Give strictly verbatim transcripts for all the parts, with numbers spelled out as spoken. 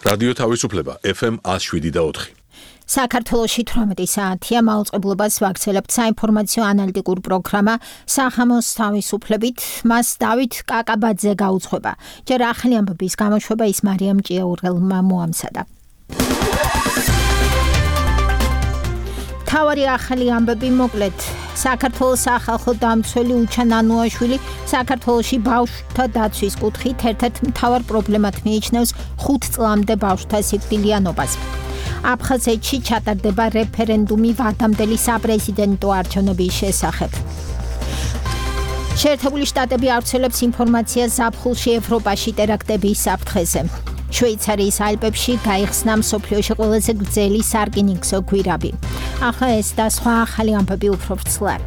რადიო თავისუფლება ეფ ემ one oh seven და four. საქართველოში თვრამეტი საათია მაუწყებლობას ვაგრძელებთ საინფორმაციო ანალიტიკურ პროგრამა სახამოს თავისუფლებით. მას დავით კაკაბაძე გაუძღვება. ჯერ ახალი ამბების გამოშვება ის მარიამ ჭიაურელმა მოამზადა. თავარი ახალი ამბები მოკლედ. საქართველოს სახალხო დამცველი უჩან ანუაშვილი საქართველოში ბავშვთა დაცვის კუთხით ერთ-ერთ მთავარ პრობლემად მიიჩნევს ხუთ წლამდე ბავშვთა სიკვდილიანობას. აფხაზეთში ჩატარდება რეფერენდუმი ვადამდელი საპრეზიდენტო არჩევნების შესახებ. შეერთებული შტატები ავრცელებს ინფორმაციას ზაფხულში ევროპაში ტერაქტების საფრთხეზე. შვეიცარიის ალპებში გაიხსნა მსოფლიოში ყველაზე გრძელი სარკინიგზო გვირაბი. ახლა ეს და სხვა ახალი ამბები უფრო ვრცლად.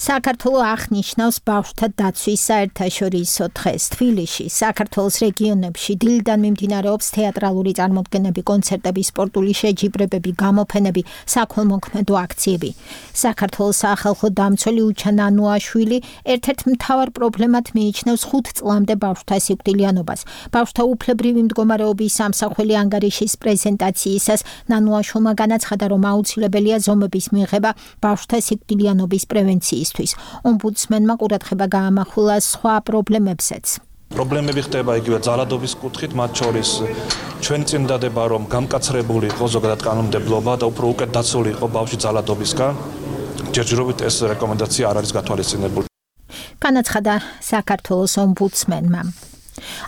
საქართველოს აღნიშნავს ბავშვთა დაცვის საერთაშორისო დღეს. თბილისში, საქართველოს რეგიონებში დილიდან მიმდინარეობს თეატრალური წარმოდგენები, კონცერტები, სპორტული შეჯიბრებები, გამოფენები, საქველმოქმედო აქციები. საქართველოს სახალხო დამცველი უჩან ანუაშვილი ერთ-ერთ მთავარ პრობლემად მიიჩნევს ხუთ წლამდე ბავშვთა სიკვდილიანობას. ბავშვთა უფლებრივი მდგომარეობის სამსახველი ანგარიშის პრეზენტაციისას ნანუაშვილმა განაცხადა, რომ აუცილებელია ზომების მიღება ბავშვთა სიკვდილიანობის პრევენციის. ომბუდსმენმა ყურადღება გაამახვილა სხვა პრობლემებსაც. პრობლემები ხდება იგივე ძალადობის კუთხით, მათ შორის ჩვენი წინდადება, რომ გამკაცრებული იყო ზოგადად კანონმდებლობა და უფრო უკეთ დაცული იყო ბავშვი ძალადობისგან. ჯერჯერობით ეს რეკომენდაცია არ არის გათვალისწინებული. განაცხადა საქართველოს ომბუდსმენმა.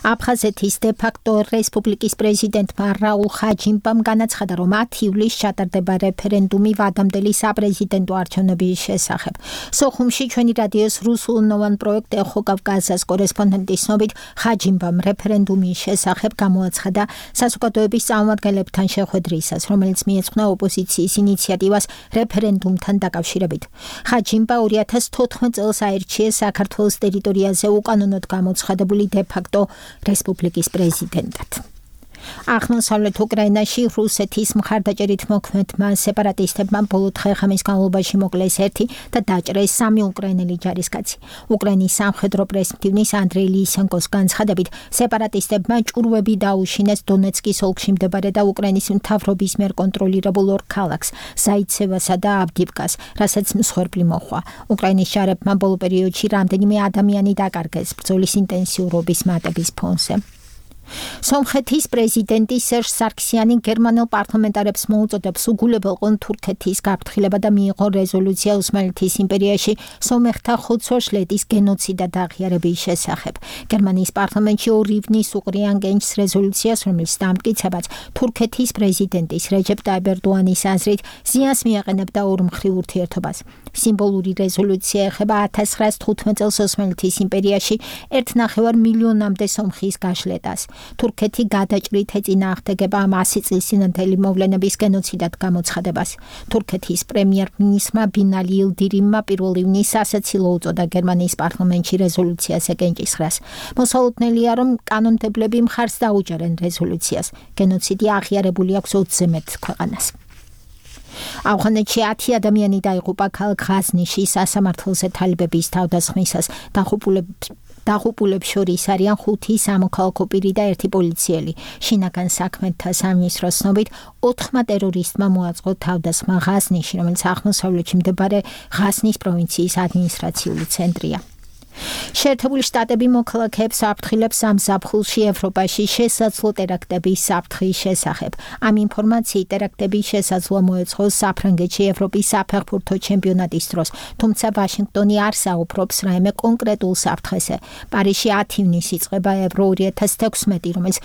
აფხაზეთის დე-ფაქტო რესპუბლიკის პრეზიდენტმა რაულ ხაჯიმბამ განაცხადა, რომ ათი ივლისს ჩატარდება რეფერენდუმი ვადამდელი საპრეზიდენტო არჩევნების შესახებ. სოხუმში ჩვენი რადიოს რუსულენოვან პროექტ ეხო კავკასიის კორესპონდენტის ცნობით ხაჯიმბამ რეფერენდუმის შესახებ გამოაცხადა საზოგადოების წარმომადგენლებთან შეხვედრისას, რომელიც მიეძღვნა ოპოზიციის ინიციატივას რეფერენდუმთან დაკავშირებით. ხაჯიმბა ორი ათას თოთხმეტ წელს აირჩიეს საქართველოს ტერიტორიაზე უკანონოდ გამოცხადებული დე-ფაქტო რესპუბლიკის პრეზიდენტად. აღმოსავლეთ უკრაინაში რუსეთის მხარდაჭერით მოქმედმა სეპარატისტებმა ბოლო დღე-ღამის განმავლობაში მოკლეს ერთი და დაჭრეს სამი უკრაინელი ჯარისკაცი. უკრაინის სამხედრო პრესმდივნის ანდრეი ლისენკოს განცხადებით, სეპარატისტებმა ჭურვები დაუშინეს დონეცკის ოლქში მდებარე და უკრაინის მთავრობის მიერ კონტროლირებულ ორ ქალაქს, ზაიცევასა და ავდივკას, რასაც მსხვერპლი მოჰყვა. უკრაინის ჯარებმა ბოლო პერიოდში რამდენიმე ადამიანი დაკარგეს ბრძოლის ინტენსიურობის მატების ფონზე. სომხეთის პრეზიდენტი სერჟ სარქსიანი გერმანელ პარლამენტარებს მოუწოდებს უგულებელყონ თურქეთის გაფრთხილება და მიიღო რეზოლუცია ოსმალეთის იმპერიაში სომეხთა ხოცვა-შლეთის გენოციდად აღიარების შესახებ. გერმანიის პარლამენტში ორ ივნის უყრიან გენჩს რეზოლუციას, რომლის დამტკიცებაც თურქეთის პრეზიდენტის რეჯეპ ტაიპ ერდოანის აზრით ზიანს მიაყენებდა ორმხრივ ურთიერთობას. სიმბოლური რეზოლუცია ეხება ათას ცხრაას თხუთმეტ წელს ოსმალეთის იმპერიაში ერთ ნახევარ მილიონამდე სომხის გაშლეტას. თურქეთი გადაჭრით ეწინააღმდეგება ამ ასი წლის წინანდელი მოვლენების გენოციდად გამოცხადებას. თურქეთის პრემიერ-მინისტრმა ბინალი ილდირიმმა პირველ ივნისს ასაცილო უწოდა გერმანიის პარლამენტში რეზოლუციას ეკენჭისყრას. მოსალოდნელია, რომ კანონმდებლები მხარს დაუჭერენ რეზოლუციას. გენოციდი აღიარებული აქვს ოცზე მეტ ქვეყანას. ავღანეთში ათი ადამიანი დაიღუპა ქალაქ ღაზნიში სასამართლოზე თალიბების თავდასხმისას. დაღუპულებს დაღუპულებს შორის არიან ხუთი სამოქალაქო პირი და ერთი პოლიციელი. შინაგან საქმეთა სამინისტროს ცნობით ოთხმა ტერორისტმა მოაწყო თავდასხმა ღაზნიში, რომელიც აღმოსავლეთში მდებარე ღაზნის პროვინციის ადმინისტრაციული ცენტრია. შეერთებული შტატები მოქალაქეებს აფრთხილებს ამ ზაფხულში ევროპაში შესაძლო ტერაქტების საფრთხის შესახებ. ამ ინფორმაციით ტერაქტების შესაძლოა მოეწყო საფრანგეთში ევროპის საფეხბურთო ჩემპიონატის დროს, თუმცა ვაშინგტონი არ საუბრობს რაიმე კონკრეტულ საფრთხეზე. პარიზში ათი ივნისს იწყება ევრო ორი ათას თექვსმეტი, რომელიც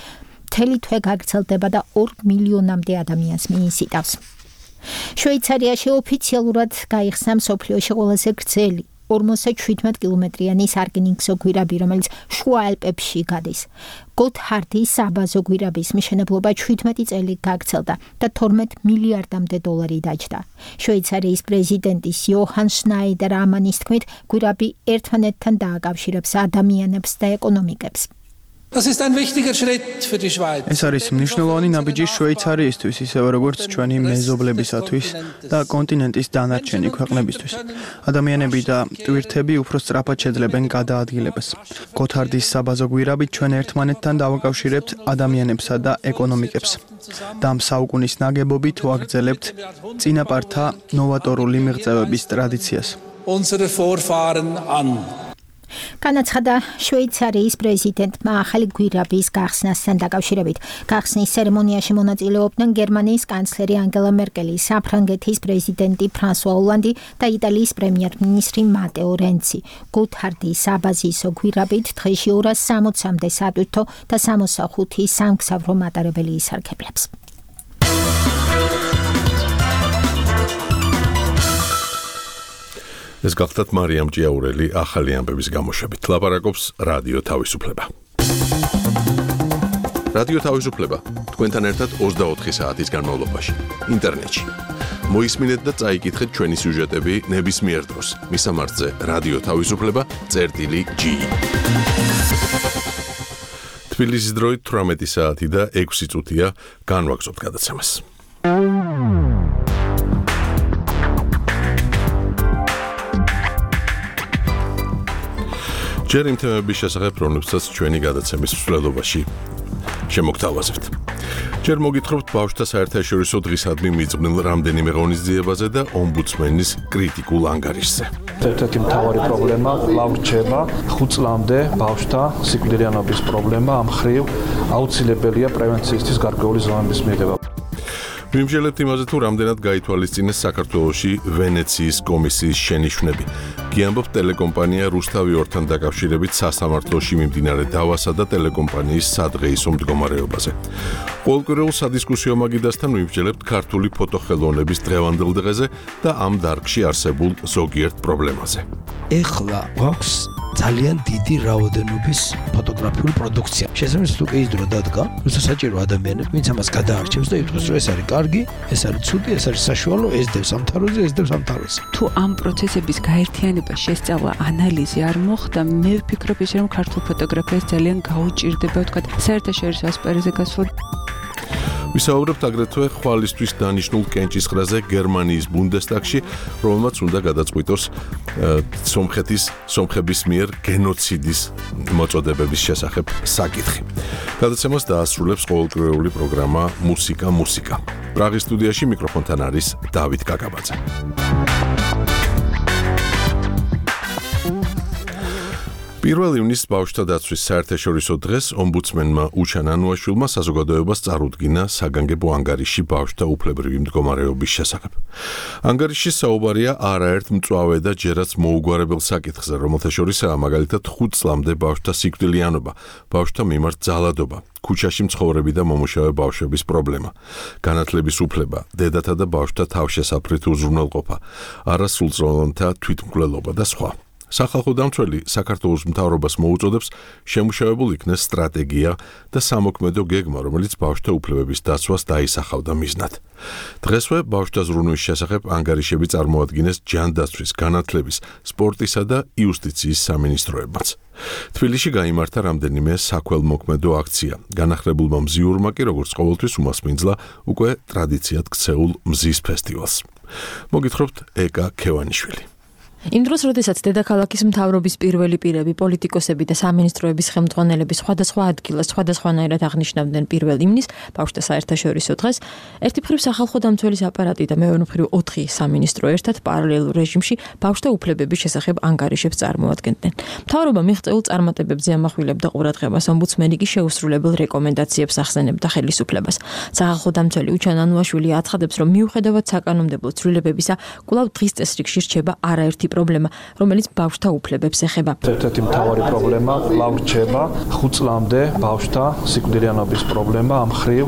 მთელი თვე გაგრძელდება და ორ მილიონამდე ადამიანს მიიზიდავს. შვეიცარიაში ოფიციალურად გაიხსნა მსოფლიოში ყველაზე გრძელი ორმოცდაშვიდმეტ კილომეტრიანი სარკინიგზო გვირაბი, რომელიც შუა ალპებში გადის. გოთჰარდის საბაზო გვირაბის მშენებლობა შვიდმეტი წელი გაგრძელდა და თორმეტ მილიარდამდე დოლარი დაჯდა. შვეიცარიის პრეზიდენტის იოჰან შნაიდერ ამანის თქმით, გვირაბი ერთმანეთთან დააკავშირებს ადამიანებს და ეკონომიკებს. Das ist ein wichtiger Schritt für die Schweiz. ეს არის მნიშვნელოვანი ნაბიჯი შვეიცარიისთვის, ისევე როგორც ჩვენი მეზობლებისათვის და კონტინენტის დანარჩენი ქვეყნებისთვის. ადამიანები და ტვირთები უფრო სწრაფად შეძლებენ გადაადგილებას. გოთარდის საბაზო გვირაბით ჩვენ ერთმანეთთან დავაკავშირებთ ადამიანებსა და ეკონომიკებს. და ამ საუკუნის ნაგებობით ვაგრძელებთ წინაპართა ნოვატორული მიღწევების ტრადიციას. Unsere Vorfahren an. განაცხადა შვეიცარიის პრეზიდენტმა ახალი გვირაბის გახსნასთან დაკავშირებით. გახსნის ცერემონიაში მონაწილეობდნენ გერმანიის კანცლერი ანგელა მერკელი, საფრანგეთის პრეზიდენტი ფრანსუა ოლანდი და იტალიის პრემიერ-მინისტრი მატეო რენცი. გუთარდის საბაზისო გვირაბით დღეში ორას სამოცამდე სატვირთო და სამოცდახუთი სამგზავრო მატარებელი ისარგებლებს. ეს გახლდათ მარიამ ჭიაურელი ახალი ამბების გამოშვებით. ლაპარაკობს რადიო თავისუფლება. რადიო თავისუფლება თქვენთან ერთად ოცდაოთხი საათის განმავლობაში ინტერნეტში. მოისმინეთ და წაიკითხეთ ჩვენი სიუჟეტები ნებისმიერ დროს. მისამართზე რადიო თავისუფლება წერტილი ჯი. თბილისის დროით თვრამეტი საათი და ექვსი წუთია განვაგრძობთ გადაცემას. ჯერ იმ თემების შესახებ, რომლებსაც ჩვენი გადაცემის მსვლელობაში შემოგთავაზებთ. ჯერ მოგითხრობთ ბავშვთა საერთაშორისო დღისადმი მიძღვნილ რამდენიმე ღონისძიებაზე და ომბუდსმენის კრიტიკულ ანგარიშზე. ერთ-ერთი მთავარი პრობლემა კვლავ რჩება ხუთ წლამდე ბავშვთა სიკვდილიანობის პრობლემა, ამ მხრივ აუცილებელია პრევენციისთვის გარკვეული ზომების მიღება. ვიმსჯელებთ იმაზე, თუ რამდენად გაითვალისწინეს საქართველოში ვენეციის კომისიის შენიშვნები. გიამბობთ ტელეკომპანია რუსთავი ორთან დაკავშირებით სასამართლოში მიმდინარე დავასა და ტელეკომპანიის სადღეისო მდგომარეობაზე. ყოველკვირეულ სადისკუსიო მაგიდასთან ვიმსჯელებთ ქართული ფოტოხელოვნების დღევანდელ დღეზე და ამ დარგში არსებულ ზოგიერთ პრობლემაზე. ეხლა გვაქვს ძალიან დიდი რაოდენობის ფოტოგრაფიული პროდუქცია. შესაბამისად, თუ ის დრო დადგა, როცა საჭირო ადამიანები, ვინც ამას გადაარჩევს და იტყვის, რომ ეს არის კარგი, ეს არის ცუდი, ეს არის საშუალო, ეს დევს ამ თაროზე, ეს დევს ამ თაროზე. თუ ამ პროცესების გაერთიანება, შესწავლა, ანალიზი არ მოხდა, მე ვფიქრობ ისე, რომ ქართულ ფოტოგრაფიას ძალიან გაუჭირდება, ვთქვათ, საერთაშორისო ასპარეზზე გასული. ვისაუბრებთ აგრეთვე ხვალისთვის დანიშნულ კენჭისყრაზე გერმანიის ბუნდესტაგში, რომელმაც უნდა გადაწყვიტოს სომხეთის სომხების მიერ გენოციდის მოწოდებების შესახებ საკითხი. გადაცემას დაასრულებს ყოველკვირეული პროგრამა მუსიკა მუსიკა. პრაღის სტუდიაში მიკროფონთან არის დავით კაკაბაძე. პირველ ივნისს ბავშვთა დაცვის საერთაშორისო დღეს ომბუდსმენმა უჩან ანუაშვილმა საზოგადოებას წარუდგინა საგანგებო ანგარიში ბავშვთა უფლებრივი მდგომარეობის შესახებ. ანგარიშში საუბარია არაერთ მწვავე და ჯერაც მოუგვარებელ საკითხზე, რომელთა შორისაა მაგალითად ხუთ წლამდე ბავშვთა სიკვდილიანობა, ბავშვთა მიმართ ძალადობა, ქუჩაში მცხოვრები და მომუშავე ბავშვების პრობლემა, განათლების უფლება, დედათა და ბავშვთა თავშესაფრით უზრუნველყოფა, არასრულწლოვანთა თვითმკვლელობა და სხვა. სახალხო დამცველი საქართველოს მთავრობას მოუწოდებს შემუშავებულ იქნეს სტრატეგია და სამოქმედო გეგმა, რომელიც ბავშვთა უფლებების დაცვას დაისახავდა მიზნად. დღესვე ბავშვთა ზრუნვის შესახებ ანგარიშები წარმოადგინეს ჯანდაცვის, განათლების, სპორტისა და იუსტიციის სამინისტროებმაც. თბილისში გაიმართა რამდენიმე საქველმოქმედო აქცია. განახლებულმა მზიურმა კი როგორც ყოველთვის უმასპინძლა უკვე ტრადიციად ქცეულ მზის ფესტივალს. მოგითხრობთ ეკა ქევანიშვილი. იმ დროს, როდესაც დედაქალაქის მთავრობის პირველი პირები, პოლიტიკოსები და სამინისტროების ხელმძღვანელები სხვადასხვა ადგილას სხვადასხვანაირად აღნიშნავდნენ პირველ ივნისს, ბავშვთა საერთაშორისო დღეს, ერთი მხრივ სახალხო დამცველის აპარატი და მეორე მხრივ ოთხი სამინისტრო ერთად პარალელურ რეჟიმში ბავშვთა უფლებების შესახებ ანგარიშებს წარმოადგენდნენ. მთავრობა მიღწეულ წარმატებებზე ამახვილებდა ყურადღებას, ომბუდსმენი კი შეუსრულებელ რეკომენდაციებს ახსენებდა ხელისუფლებას. სახალხო დამცველი უჩან ანუაშვილი აცხადებს, რომ მიუხედავად საკანონმდებლო ცვლილებებისა, კვლავ დღის წესრიგში რჩება არაერთი პრობლემა, რომელიც ბავშვთა უფლებებს ეხება. ერთ-ერთი მთავარი პრობლემა კვლავ რჩება ხუთ წლამდე ბავშვთა სიკვდილიანობის პრობლემა, ამ მხრივ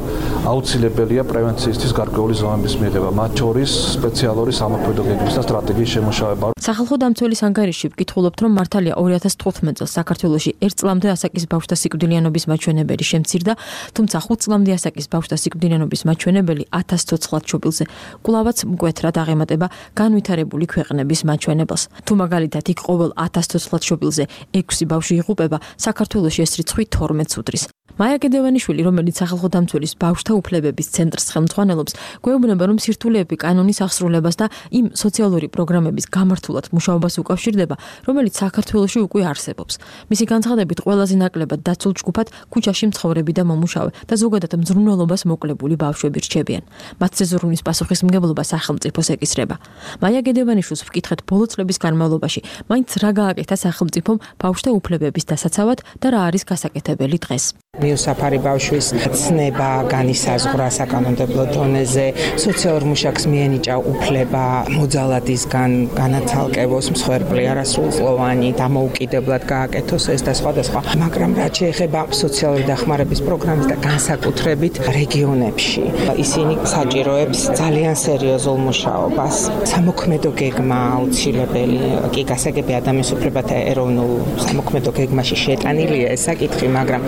აუცილებელია პრევენციისთვის გარკვეული ზომების მიღება, მათ შორის სპეციალური სამოქმედო გეგმის და სტრატეგიის შემუშავება. სახალხო დამცველის ანგარიში ვკითხულობთ, რომ მართალია ორი ათას თხუთმეტ წელს საქართველოში ერთ წლამდე ასაკის ბავშვთა სიკვდილიანობის მაჩვენებელი შემცირდა, თუმცა ხუთ წლამდე ასაკის ბავშვთა სიკვდილიანობის მაჩვენებელი ათას ცოცხლად შობილზე კვლავაც მკვეთრად აღემატება განვითარებული ქვეყნების მაჩვენებელს. სკანდალს. თუ მაგალითად იქ ყოველ ათას ცოცხლად შობილზე ექვსი ბავშვი იღუპება, საქართველოში ეს რიცხვი თორმეტს უდრის. მაია გედევანიშვილი, რომელიც სახალხო დამცველის ბავშვთა უფლებების ცენტრს ხელმძღვანელობს, გვეუბნება, რომ სირთულეები კანონის აღსრულებას და იმ სოციალური პროგრამების გამართულად მუშაობას უკავშირდება, რომელიც საქართველოში უკვე არსებობს. მისი განცხადებით, ყველაზე ნაკლებად დაცულ ჯგუფად ქუჩაში მცხოვრები და მომუშავე და ზოგადად მზრუნველობას მოკლებული ბავშვები რჩებიან. მათზე ზრუნვის პასუხისმგებლობა სახელმწიფოს ეკისრება. მაია გედევანიშვილს ვკითხეთ ბოლო წლების განმავლობაში, მაინც რა გააკეთა სახელმწიფომ ბავშვთა უფლებების დასაცავად და რა არის გასაკეთებელი დღეს. მიუსაფარი ბავშვის ცნება, განისაზღვრა საკანონმდებლო დონეზე, სოციალურ მუშაკს მიენიჭა უფლება მოძალადისგან განაცალკევოს მსხვერპლი არასრულწლოვანი, დამოუკიდებლად გააკეთოს ეს და სხვადასხვა. მაგრამ რაც შეეხება სოციალური დახმარების პროგრამის და განსაკუთრებით რეგიონებში, ისინი საჭიროებს ძალიან სერიოზულ მუშაობას. სამოქმედო გეგმა აუცილებელი, კი გასაგები ადამიანის უფლებათა ეროვნულ სამოქმედო გეგმაში შეტანილია ეს საკითხი, მაგრამ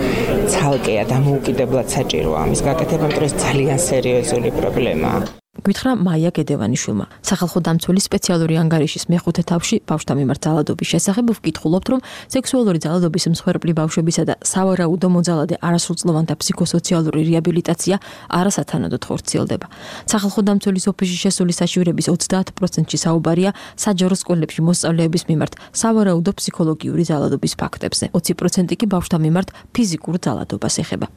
ცალკეა დამოუკიდებლად საჭიროა ამის გაკეთება, იმიტომ რომ ძალიან სერიოზული პრობლემაა. გითხრა მაია გედევანიშვილმა. სახალხო დამცველის სპეციალური ანგარიშის მეხუთე თავში ბავშვთა მიმართ ძალადობის შესახებ ვკითხულობთ, რომ სექსუალური ძალადობის მსხვერპლი ბავშვებისა და სავარაუდო მოძალადე არასრულწლოვანთა ფსიქოსოციალური რეაბილიტაცია არასათანადოდ ხორციელდება. სახალხო დამცველის ოფისში შესული საჩივრების ოცდაათ პროცენტში საუბარია საჯარო სკოლებში მოსწავლეების მიმართ სავარაუდო ფსიქოლოგიური ძალადობის ფაქტებზე. ოცი პროცენტი კი ბავშვთა მიმართ ფიზიკურ ძალადობას ეხება.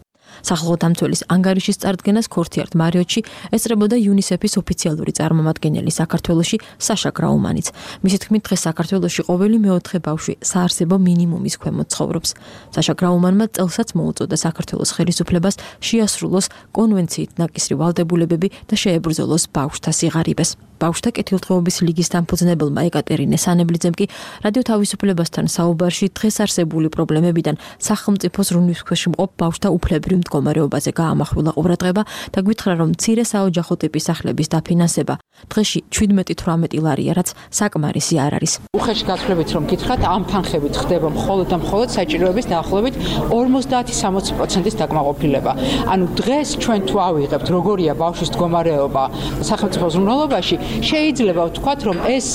სახალხო დამცველის ანგარიშის წარდგენას ქორთიართ მარიოტში ესწრებოდა იუნისეფის ოფიციალური წარმომადგენელი საქართველოში საშა გრაუმანიც. მისი თქმით, დღეს საქართველოში ყოველი მეოთხე ბავშვი საარსებო მინიმუმის ქვემოთ ცხოვრობს. საშა გრაუმანმა წელსაც მოუწოდა საქართველოს ხელისუფლებას შეასრულოს კონვენციით ნაკისრი ვალდებულებები და შეებრძოლოს ბავშვთა სიღარიბეს. ბავშვთა კეთილდღეობის ლიგის დამფუძნებელმა ეკატერინე სანებლიძემ კი რადიო თავისუფლებასთან საუბარში დღეს არსებული პრობლემებიდან სახელმწიფოს ზრუნვის ქვეშ მყოფ ბავშვთა უფლებრივ მდგომარეობაზე გაამახვილა ყურადღება და გითხრა, რომ მცირე საოჯახო ტიპის სახლების დაფინანსება დღეში ჩვიდმეტი თვრამეტი ლარია, რაც საკმარისი არ არის. უხეში გაცვლებით რომ გითხრათ, ამ თანხებით ხდება მხოლოდ და მხოლოდ საჭიროების დაახლოებით ორმოცდაათი სამოცი პროცენტის დაკმაყოფილება. ანუ დღეს ჩვენ თუ ავიღებთ, როგორია ბავშვის მდგომარეობა სახელმწიფო ზრუნველობაში, შეიძლება ვთქვათ, რომ ეს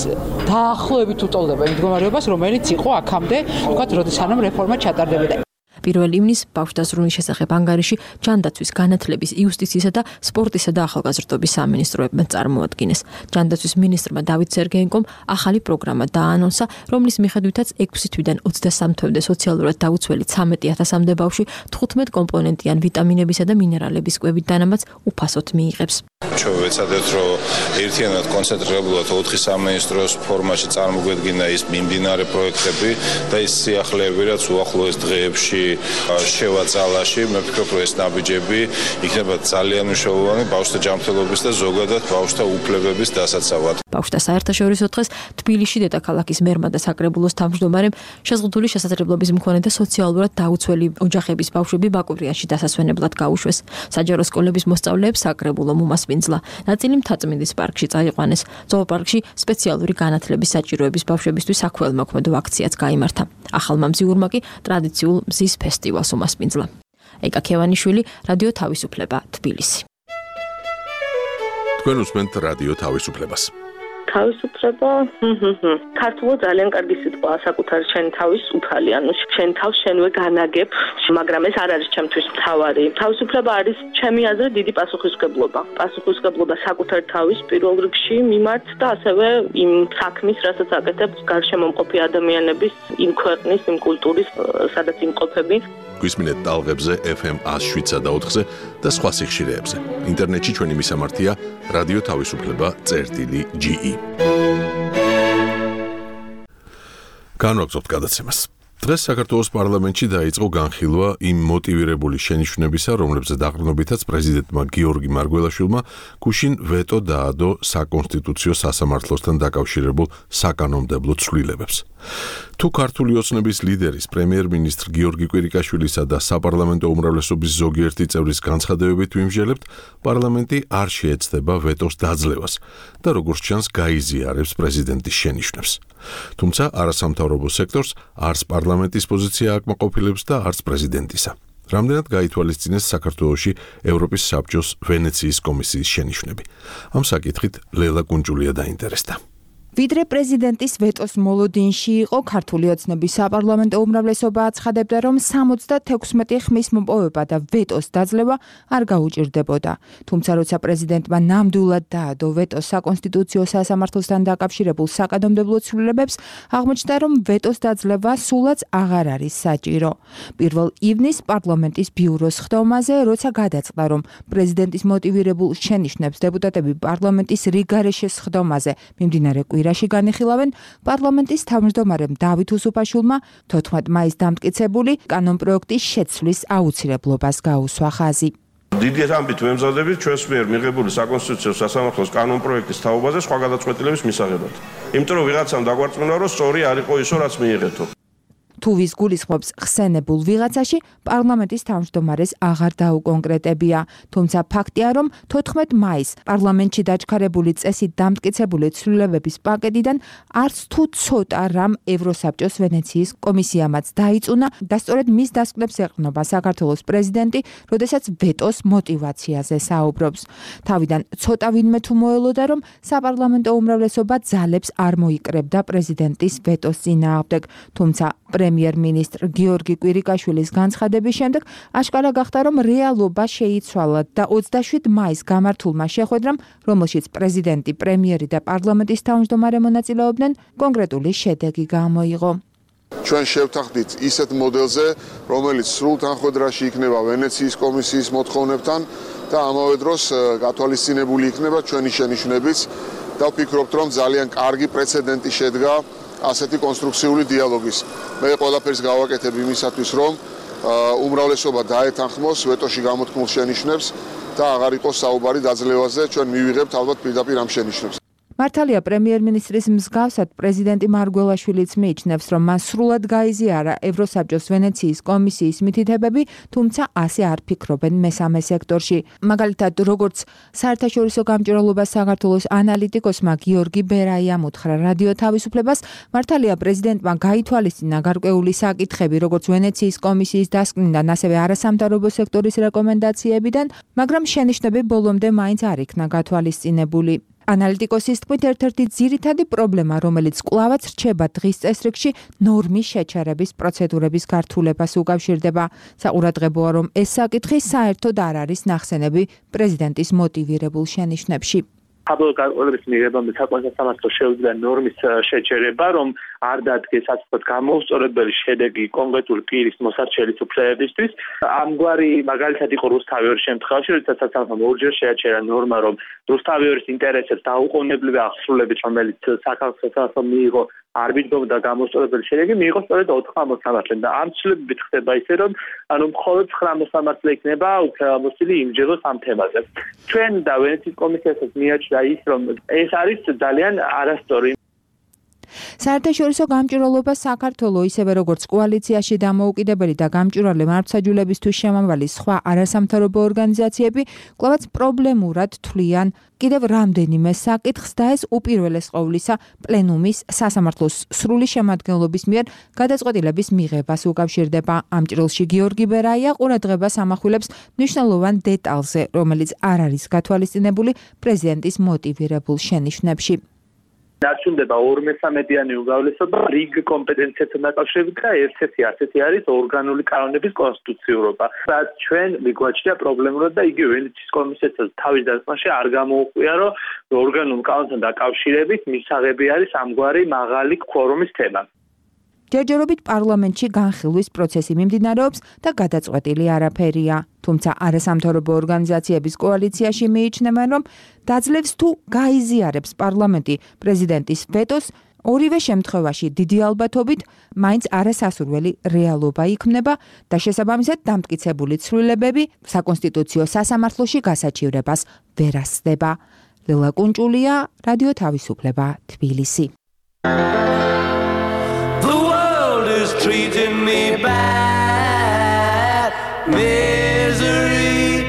დაახლოებით უტოლდება იმ მდგომარეობას, რომელიც იყო აქამდე, ვთქვათ, როდის სანამ რეფორმა ჩატარდებოდა. პირველ ივნისს ბავშვთა ზრუნვის შესახებ ანგარიში ჯანდაცვის, განათლების, იუსტიციისა და სპორტისა და ახალგაზრდობის სამინისტროებმა წარმოადგინეს. ჯანდაცვის მინისტრმა დავით სერგეენკომ ახალი პროგრამა დაანონსა, რომლის მიხედვითაც ექვსი თვიდან ოცდასამ თვემდე სოციალურად დაუცველი ცამეტი ათასამდე ბავშვი თხუთმეტ კომპონენტიან ვიტამინებისა და მინერალების კვებით დანამატს უფასოდ მიიღებს. ჩვენ ვეცადეთ, რომ ერთიანად კონცენტრირებულად ოთხი სამინისტროს ფორმაში წარმოგვედგინა ის მიმდინარე პროექტები და ის სიახლეები, რაც უახლოეს დღეებში შევაწალაში, მე ვფიქრობ, რომ ეს ნაბიჯები იქნება ძალიან მნიშვნელოვანი ბავშვთა ჯანმრთელობის და ზოგადად ბავშვთა უფლებების დასაცავად. ბავშვთა საერთაშორისო დღეს თბილისში დედაქალაქის მერმა და საკრებულოს თავმჯდომარემ შეზღუდული შესაძლებლობის მქონე და სოციალურად დაუცველი ოჯახების ბავშვები ბაკურიანში დასასვენებლად გაუშვეს. საჯარო სკოლების მოსწავლეებს საკრებულომ უმასპინძლა. ნაწილი მთაწმინდის პარკში წაიყვანეს. ზოოპარკში სპეციალური განათლების საჭიროების ბავშვებისთვის საქველმოქმედო აქციაც გაიმართა. ახალმა მზიურმა კი ტრადიციულ მზის ფესტივალს უმასპინძლა. ეკა ქევანიშვილი, რადიო თავისუფლება, თბილისი. თქვენ უსმენთ რადიო თავისუფლებას. თავისუფლება, ქართულად ძალიან კარგი სიტყვაა, საკუთარი შენ თავის უფალი, ანუ შენ თავს შენვე განაგებ, მაგრამ ეს არ არის ჩემთვის მთავარი. თავისუფლება არის ჩემი აზრით დიდი პასუხისმგებლობა. პასუხისმგებლობა საკუთარ თავის პირველ რიგში მიმართ და ასევე იმ საქმის, რასაც აკეთებ გარშემომყოფი ადამიანების, იმ ქვეყნის, იმ კულტურის, სადაც იმყოფები. გვისმინეთ ტალღებზე ეფ ემ ათს შვიდსა და ოთხზე და სხვა სიხშირეებზე. ინტერნეტში ჩვენი მისამართია რადიო თავისუფლება წერტილი ჯი ი. განვაგრძობთ გადაცემას. დღეს საქართველოს პარლამენტში დაიწყო განხილვა იმ მოტივირებული შენიშვნებისა, რომლებზეც დაყრდნობითაც პრეზიდენტმა გიორგი მარგველაშვილმა გუშინ ვეტო დაადო საკონსტიტუციო სასამართლოსთან დაკავშირებულ საკანონმდებლო ცვლილებებს. თუ ქართული ოცნების ლიდერის პრემიერ-მინისტრ გიორგი კვირიკაშვილისა და საპარლამენტო უმრავლესობის ზოგიერთი წევრის განცხადებებით ვიმსჯელებთ, პარლამენტი არ შეეცდება ვეტოს დაძლევას და როგორც ჩანს გაიზიარებს პრეზიდენტის შენიშვნებს. თუმცა არასამთავრობო სექტორს არც პარლამენტის პოზიცია აკმაყოფილებს და არც პრეზიდენტისა. რამდენად გაითვალისწინეს საქართველოში ევროპის საბჭოს ვენეციის კომისიის შენიშვნები. ამ საკითხით ლელა კუნჭულია დაინტერესდა. ვიდრე პრეზიდენტის ვეტოს მოლოდინში იყო, ქართული ოცნების საპარლამენტო უმრავლესობა აცხადებდა, რომ სამოცდათექვსმეტი ხმის მოპოვება და ვეტოს დაძლევა არ გაუჭირდებოდა. თუმცა როცა პრეზიდენტმა ნამდვილად დაადო ვეტოს საკონსტიტუციო სასამართლოსთან დაკავშირებულ საკანონმდებლო ცვლილებებს, აღმოჩნდა, რომ ვეტოს დაძლევა სულაც აღარ არის საჭირო. პირველ ივნისს პარლამენტის ბიუროს ხდომაზე, როცა გადაწყდა, რომ პრეზიდენტის მოტივირებულ შენიშვნებს დეპუტატები პარლამენტის რიგარეშეს ხდომაზე მიმდინარე კვირაში განიხილავენ, პარლამენტის თავმჯდომარემ დავით უსუფაშვილმა თოთხმეტ მაისს დამტკიცებული კანონპროექტის შეცვლის აუცილებლობას გაუსვა ხაზი. დიდი ამბით ვემზადებით ჩვენს მიერ მიღებული საკონსტიტუციო სასამართლოს კანონპროექტის თაობაზე სხვა გადაწყვეტილების მისაღებად. იმიტომ რომ ვიღაცამ დაგვარწმუნა, რომ სწორი არ იყო ისო, რაც მიიღეთო. თუ ვის გულისხმობს ხსენებულ ვიღაცაში, პარლამენტის თავმჯდომარეს აღარ დაუკონკრეტებია. თუმცა ფაქტია, რომ თოთხმეტ მაისს პარლამენტში დაჩქარებული წესით დამტკიცებული ცვლილებების პაკეტიდან არც თუ ცოტა რამ ევროსაბჭოს ვენეციის კომისიამაც დაიწუნა და სწორედ მის დასკვნებს ეყრდნობა საქართველოს პრეზიდენტი, როდესაც ვეტოს მოტივაციაზე საუბრობს. თავიდან ცოტა ვინმე თუ მოელოდა, რომ საპარლამენტო უმრავლესობა ძალებს არ მოიკრებდა პრეზიდენტის ვეტოს წინააღმდეგ, თუმცა პრემიერ-მინისტრ გიორგი კვირიკაშვილის განცხადების შემდეგ აშკარა გახდა, რომ რეალობა შეიცვალა და ოცდაშვიდ მაისს გამართულმა შეხვედრამ, რომელშიც პრეზიდენტი, პრემიერი და პარლამენტის თავმჯდომარე მონაწილეობდნენ, კონკრეტული შედეგი გამოიღო. ჩვენ შევთანხმდით ისეთ მოდელზე, რომელიც სრულ თანხმედრაში იქნება ვენეციის კომისიის მოთხოვნებთან და ამავე დროს გათვალისწინებული იქნება ჩვენი შენიშვნებიც და ვფიქრობთ, რომ ძალიან კარგი პრეცედენტი შედგა ასეთი კონსტრუქციული დიალოგის. მე ყველაფერს გავაკეთებ იმისათვის, რომ უმრავლესობა დაეთანხმოს ვეტოში გამოთქმულ შენიშვნებს და აღარ იყოს საუბარი დაძლევაზე, ჩვენ მივიღებთ ალბათ პირდაპირ ამ შენიშვნებს. მართალია პრემიერ-მინისტრის მსგავსად პრეზიდენტი მარგველაშვილიც მიიჩნევს, რომ მას სრულად გაიზიარა ევროსაბჭოს ვენეციის კომისიის მითითებები, თუმცა ასე არ ფიქრობენ მესამე სექტორში. მაგალითად, როგორც საერთაშორისო გამჭვირვალობას საქართველოს ანალიტიკოსმა გიორგი ბერაიამ უთხრა რადიო თავისუფლებას, მართალია პრეზიდენტმა გაითვალისწინა გარკვეული საკითხები, როგორც ვენეციის კომისიის დასკვნიდან, ასევე არასამთავრობო სექტორის რეკომენდაციებიდან, მაგრამ შენიშვნები ბოლომდე მაინც არ იქნა გათვალისწინებული. ანალიტიკოსის თქმით, ერთ-ერთი ძირითადი პრობლემა, რომელიც კვლავაც რჩება დღის წესრიგში, ნორმის შეჩერების პროცედურების გართულებას უკავშირდება. საყურადღებოა, რომ ეს საკითხი საერთოდ არ არის ნახსენები პრეზიდენტის მოტივირებულ შენიშვნებში. საბოლოო გარკვეულების მიღებამდე საკონსტიტუციო შეუძლია ნორმის შეჩერება, რომ არ დადგეს ასე ვთქვათ გამოუსწორებელი შედეგი კონკრეტული პირის მოსარჩელის უფლებებისთვის. ამგვარი მაგალითად იყო რუსთავიორის შემთხვევაში, როდესაც სასამართლომ ორჯერ შეაჩერა ნორმა, რომ რუსთავიორის ინტერესებს დაუყოვნებლივი აღსრულებით, რომელიც საქართველოს მიიღო არბიტრობ და გამოუსწორებელი შედეგი მიიღო სწორედ ოთხ მოსამართლემ და ამ ცვლილებებით ხდება ისე, რომ ანუ მხოლოდ ცხრა მოსამართლე იქნება უფლებამოსილი იმჯეროს ამ თემაზე. ჩვენ და ვენეციის კომისიასაც მიაჩნდა ის, რომ ეს არის ძალიან არასწორი. საერთაშორისო გამჭვირვალობა საქართველოს ისევე როგორც კოალიციაში დამოუკიდებელი და გამჭვირვალე მართლმსაჯულებისთვის შემავალი სხვა არასამთავრობო ორგანიზაციები კვლავაც პრობლემურად თვლიან კიდევ რამდენიმე საკითხს და ეს უპირველეს ყოვლისა პლენუმის სასამართლოს სრული შემადგენლობის მიერ გადაწყვეტილების მიღებას უკავშირდება. ამ ჭრილში გიორგი ბერაია ყურადღებას ამახვილებს მნიშვნელოვან დეტალზე, რომელიც არ არის გათვალისწინებული პრეზიდენტის მოტივირებულ შენიშვნებში. დარჩუნდება ორმესამედიანი უმრავლესობა რიგ კომპეტენციებთან დაკავშირებით და ერთ-ერთი ასეთი არის ორგანული კანონების კონსტიტუციურობა. რაც ჩვენ მიგვაჩნია პრობლემურად და იგივე ვენეციის კომისიასაც თავის დასკვნაში არ გამოუყვია, რომ ორგანულ კანონთან დაკავშირებით მისაღები არის ამგვარი მაღალი კვორუმის თემა. ჯერჯერობით პარლამენტში განხილვის პროცესი მიმდინარეობს და გადაწყვეტილი არაფერია. თუმცა არასამთავრობო ორგანიზაციების კოალიციაში მიიჩნევენ, რომ დაძლევს თუ გაიზიარებს პარლამენტი პრეზიდენტის ვეტოს, ორივე შემთხვევაში დიდი ალბათობით მაინც არასასურველი რეალობა იქმნება და შესაბამისად დამტკიცებული ცვლილებები საკონსტიტუციო სასამართლოში გასაჩივრებას ვერ ასწდება. ლელა კუნჭულია, რადიო თავისუფლება, თბილისი. Treating me bad, misery.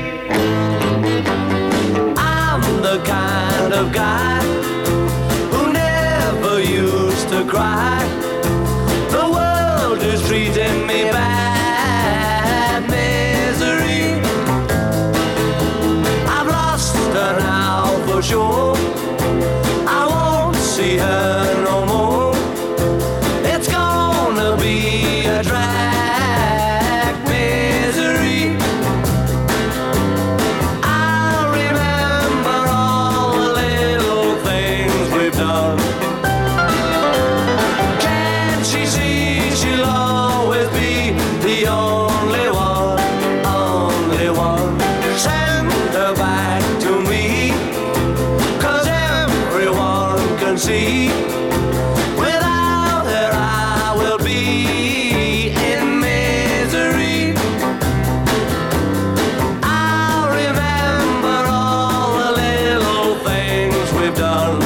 I'm the kind of guy who never used to cry. The world is treating me bad, misery. I've lost her now for sure. I won't see her one. Can't she see she'll always be the only one, only one. Send her back to me, 'cause everyone can see. Without her I will be in misery. I'll remember all the little things we've done.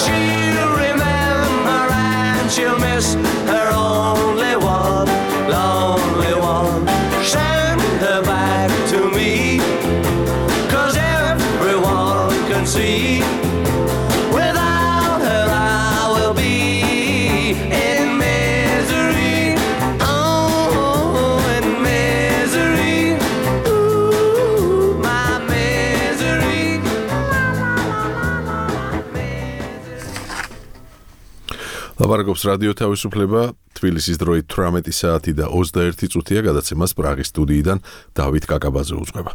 She'll remember and she'll miss her only one, lonely one. Send her back to me, 'cause everyone can see. Without her I will be in misery. Oh, in misery. Ooh, my misery. ლაპარაკობს რადიო თავისუფლება, თბილისის დროით თვრამეტი საათი და ოცდაერთი წუთია, გადაცემას პრაღის სტუდიიდან დავით კაკაბაძე უძღვება.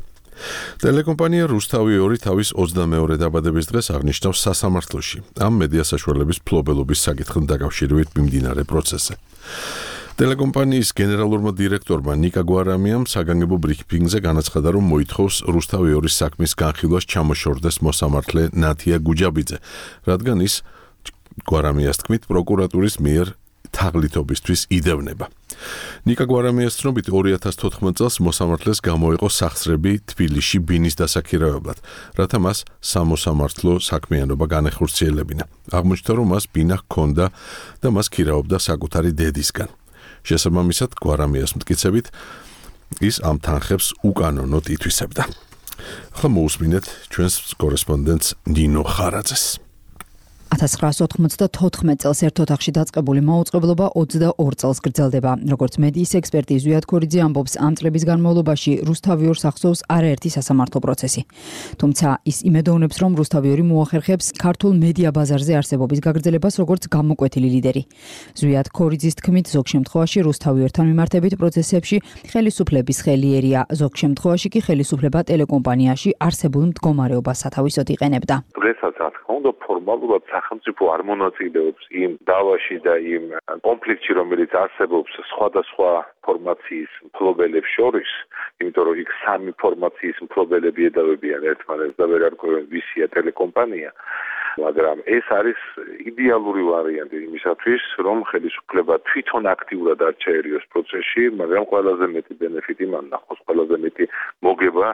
ტელეკომპანია რუსთავი ორი თავის ოცდამეორე დაბადების დღეს აღნიშნავს სასამართლოში, ამ მედია საშუალების ფლობელობის საკითხთან დაკავშირებით მიმდინარე პროცესზე. ტელეკომპანიის გენერალურმა დირექტორმა ნიკა გვარამიამ საგანგებო ბრიფინგზე განაცხადა, რომ მოითხოვს რუსთავი ორის საქმის განხილვას ჩამოშორდეს მოსამართლე ნათია გუჯაბიძე, რადგან ის გვარამიას თქმით პროკურატურის მიერ თაღლითობისთვის იდევნება. ნიკა გვარამიას ცნობით ორი ათას თოთხმეტ წელს მოსამართლეს გამოიყო სახსრები თბილისში ბინის დასაქირავებლად, რათა მას სამოსამართლო საქმიანობა განეხორციელებინა. აღმოჩნდა, რომ მას ბინა ჰქონდა და მას ქირავობდა საკუთარი დედისგან. შესაბამისად, გვარამიას მტკიცებით, ის ამ თანხებს უკანონოდ ითვისებდა. ახლა მოусმინეთ ჩვენს კორესპონდენტს ნინო ხარაძეს. ათას ცხრაასი ოთხმოცდათოთხმეტ წელს ერთ ოთახში დაწყებული მაუწყებლობა ოცდაორ წელს გრძელდება. Როგორც მედიის ექსპერტი ზვიად ქორიძე ამბობს, ამ წლების განმავლობაში რუსთავი ორს ახსოვს არაერთი სასამართლო პროცესი. თუმცა ის იმედოვნებს, რომ რუსთავი ორი მოახერხებს ქართულ მედია ბაზარზე არსებობის გაგრძელებას როგორც გამოკვეთილი ლიდერი. ზვიად ქორიძის თქმით, ზოგ შემთხვევაში რუსთავი ორთან მიმართებით პროცესებში ხელისუფლების ხელი ერია, ზოგ შემთხვევაში კი ხელისუფლება ტელეკომპანიაში არსებულ მდგომარეობას სათავისოდ იყენებდა. დღესაც რა თქმა უნდა ფორმალურად სახელმწიფო არ მონაწილეობს იმ დავაში და იმ კონფლიქტში, რომელიც არსებობს სხვადასხვა ფორმაციის მფლობელებს შორის, იმიტომ რომ იქ სამი ფორმაციის მფლობელები ედავებიან ერთმანეთს და ვერ არკვევენ ვისია ტელეკომპანია. მაგრამ ეს არის იდეალური ვარიანტი იმისათვის, რომ ხელისუფლება თვითონ აქტიურად არ ჩაერიოს პროცესში, მაგრამ ყველაზე მეტი ბენეფიტი მან ნახოს, ყველაზე მეტი მოგება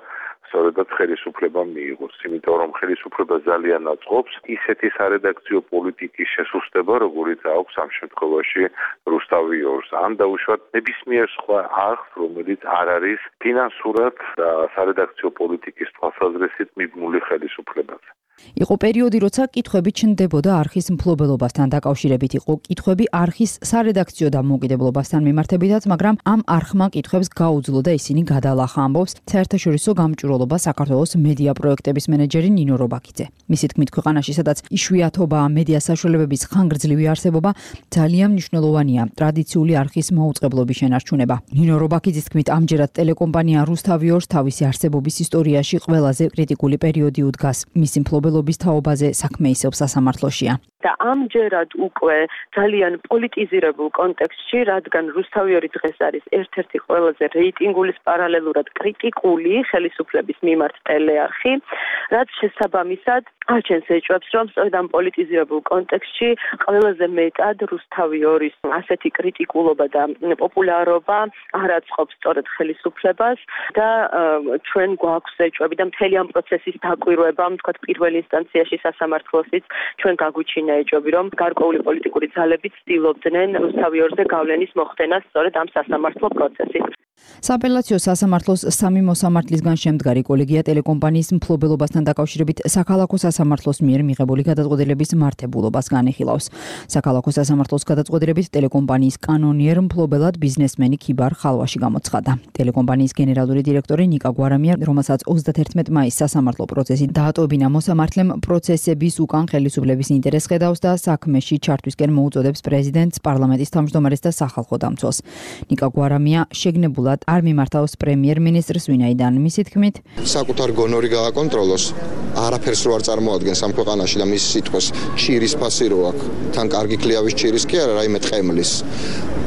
სწორედაც ხელისუფლებამ მიიღოს, იმიტომ რომ ხელისუფლება ძალიან აწყობს ისეთი სარედაქციო პოლიტიკის შესუსტება, როგორიც აქვს ამ შემთხვევაში რუსთავი ორს. ან დაუშვათ ნებისმიერ სხვა არხს, რომელიც არ არის ფინანსურად და სარედაქციო პოლიტიკის თვალსაზრისით მიბმული ხელისუფლებაზე. იყო პერიოდი, როცა კითხვები ჩნდებოდა არხის მფლობელობასთან დაკავშირებით, იყო კითხვები არხის სარედაქციო დამოუკიდებლობასთან მიმართებითაც, მაგრამ ამ არხმა კითხვებს გაუძლო და ისინი გადალახა, ამბობს საერთაშორისო გამჭვირვალობა საქართველოს მედია პროექტების მენეჯერი ნინო რობაქიძე. მისი თქმით, ქვეყანაში, სადაც იშვიათობა მედია საშუალებების ხანგრძლივი არსებობა ძალიან მნიშვნელოვანია ტრადიციული არხის მაუწყებლობის შენარჩუნება. ნინო რობაქიძის თქმით, ამჯერად ტელეკომპანია რუსთავი ორს თავისი არსებობის ისტორიაში ყველაზე კრიტიკული პერიოდი უდგას. მისი მფლობელობის თაობაზე საქმე ისევ სასამართლოშია. და ამჯერად უკვე ძალიან პოლიტიზირებულ კონტექსტში, რადგან რუსთავი ორი დღეს არის ერთ-ერთი ყველაზე რეიტინგულის პარალელურად კრიტიკული ხელისუფლების მიმართ ტელეარხი, რაც შესაბამისად აჩენს ეჭვებს, რომ სწორედ ამ პოლიტიზირებულ კონტექსტში ყველაზე მეტად რუსთავი ორის ასეთი კრიტიკულობა და პოპულარობა არ აწყობს სწორედ ხელისუფლებას და ჩვენ გვაქვს ეჭვები და მთელი ამ პროცესის დაკვირვება, თქვათ პირველ ინსტანციაში სასამართლოსიც ჩვენ გაგვიჩინა ეჭვები, რომ გარკვეული პოლიტიკური ძალები ცდილობდნენ რუსთავი ორზე გავლენის მოხდენას სწორედ ამ სასამართლო პროცესით. სააპელაციო სასამართლოს სამი მოსამართლისგან შემდგარი კოლეგია ტელეკომპანიის მფლობელობასთან დაკავშირებით საქალაქო სასამართლოს მიერ მიღებული გადაწყვეტილების მართებულობას განიხილავს. საქალაქო სასამართლოს გადაწყვეტილებით ტელეკომპანიის კანონიერ მფლობელად ბიზნესმენი ქიბარ ხალვაში გამოცხადა. ტელეკომპანიის გენერალური დირექტორი ნიკა გვარამია, რომელსაც ოცდათერთმეტ მაისს სასამართლო პროცესი დაატოვებინა მოსამართლემ, პროცესების უკან ხელისუფლების ინტერესს ხედავს და საქმეში ჩართვისკენ მოუწოდებს პრეზიდენტს, პარლამენტის თავმჯდომარეს და სახალხო დამცველს. ნიკა გვარამია შეგნებულ აქტიურად არ მიმართავს პრემიერ-მინისტრს, ვინაიდან მისი თქმით, საკუთარ გონორი გააკონტროლოს, არაფერს რო არ წარმოადგენს ამ ქვეყანაში და მის სიტყვას ჭირის ფასი რო აქვს, თან კარგი ქლიავის ჭირის კი არა, რაიმე ტყემლის.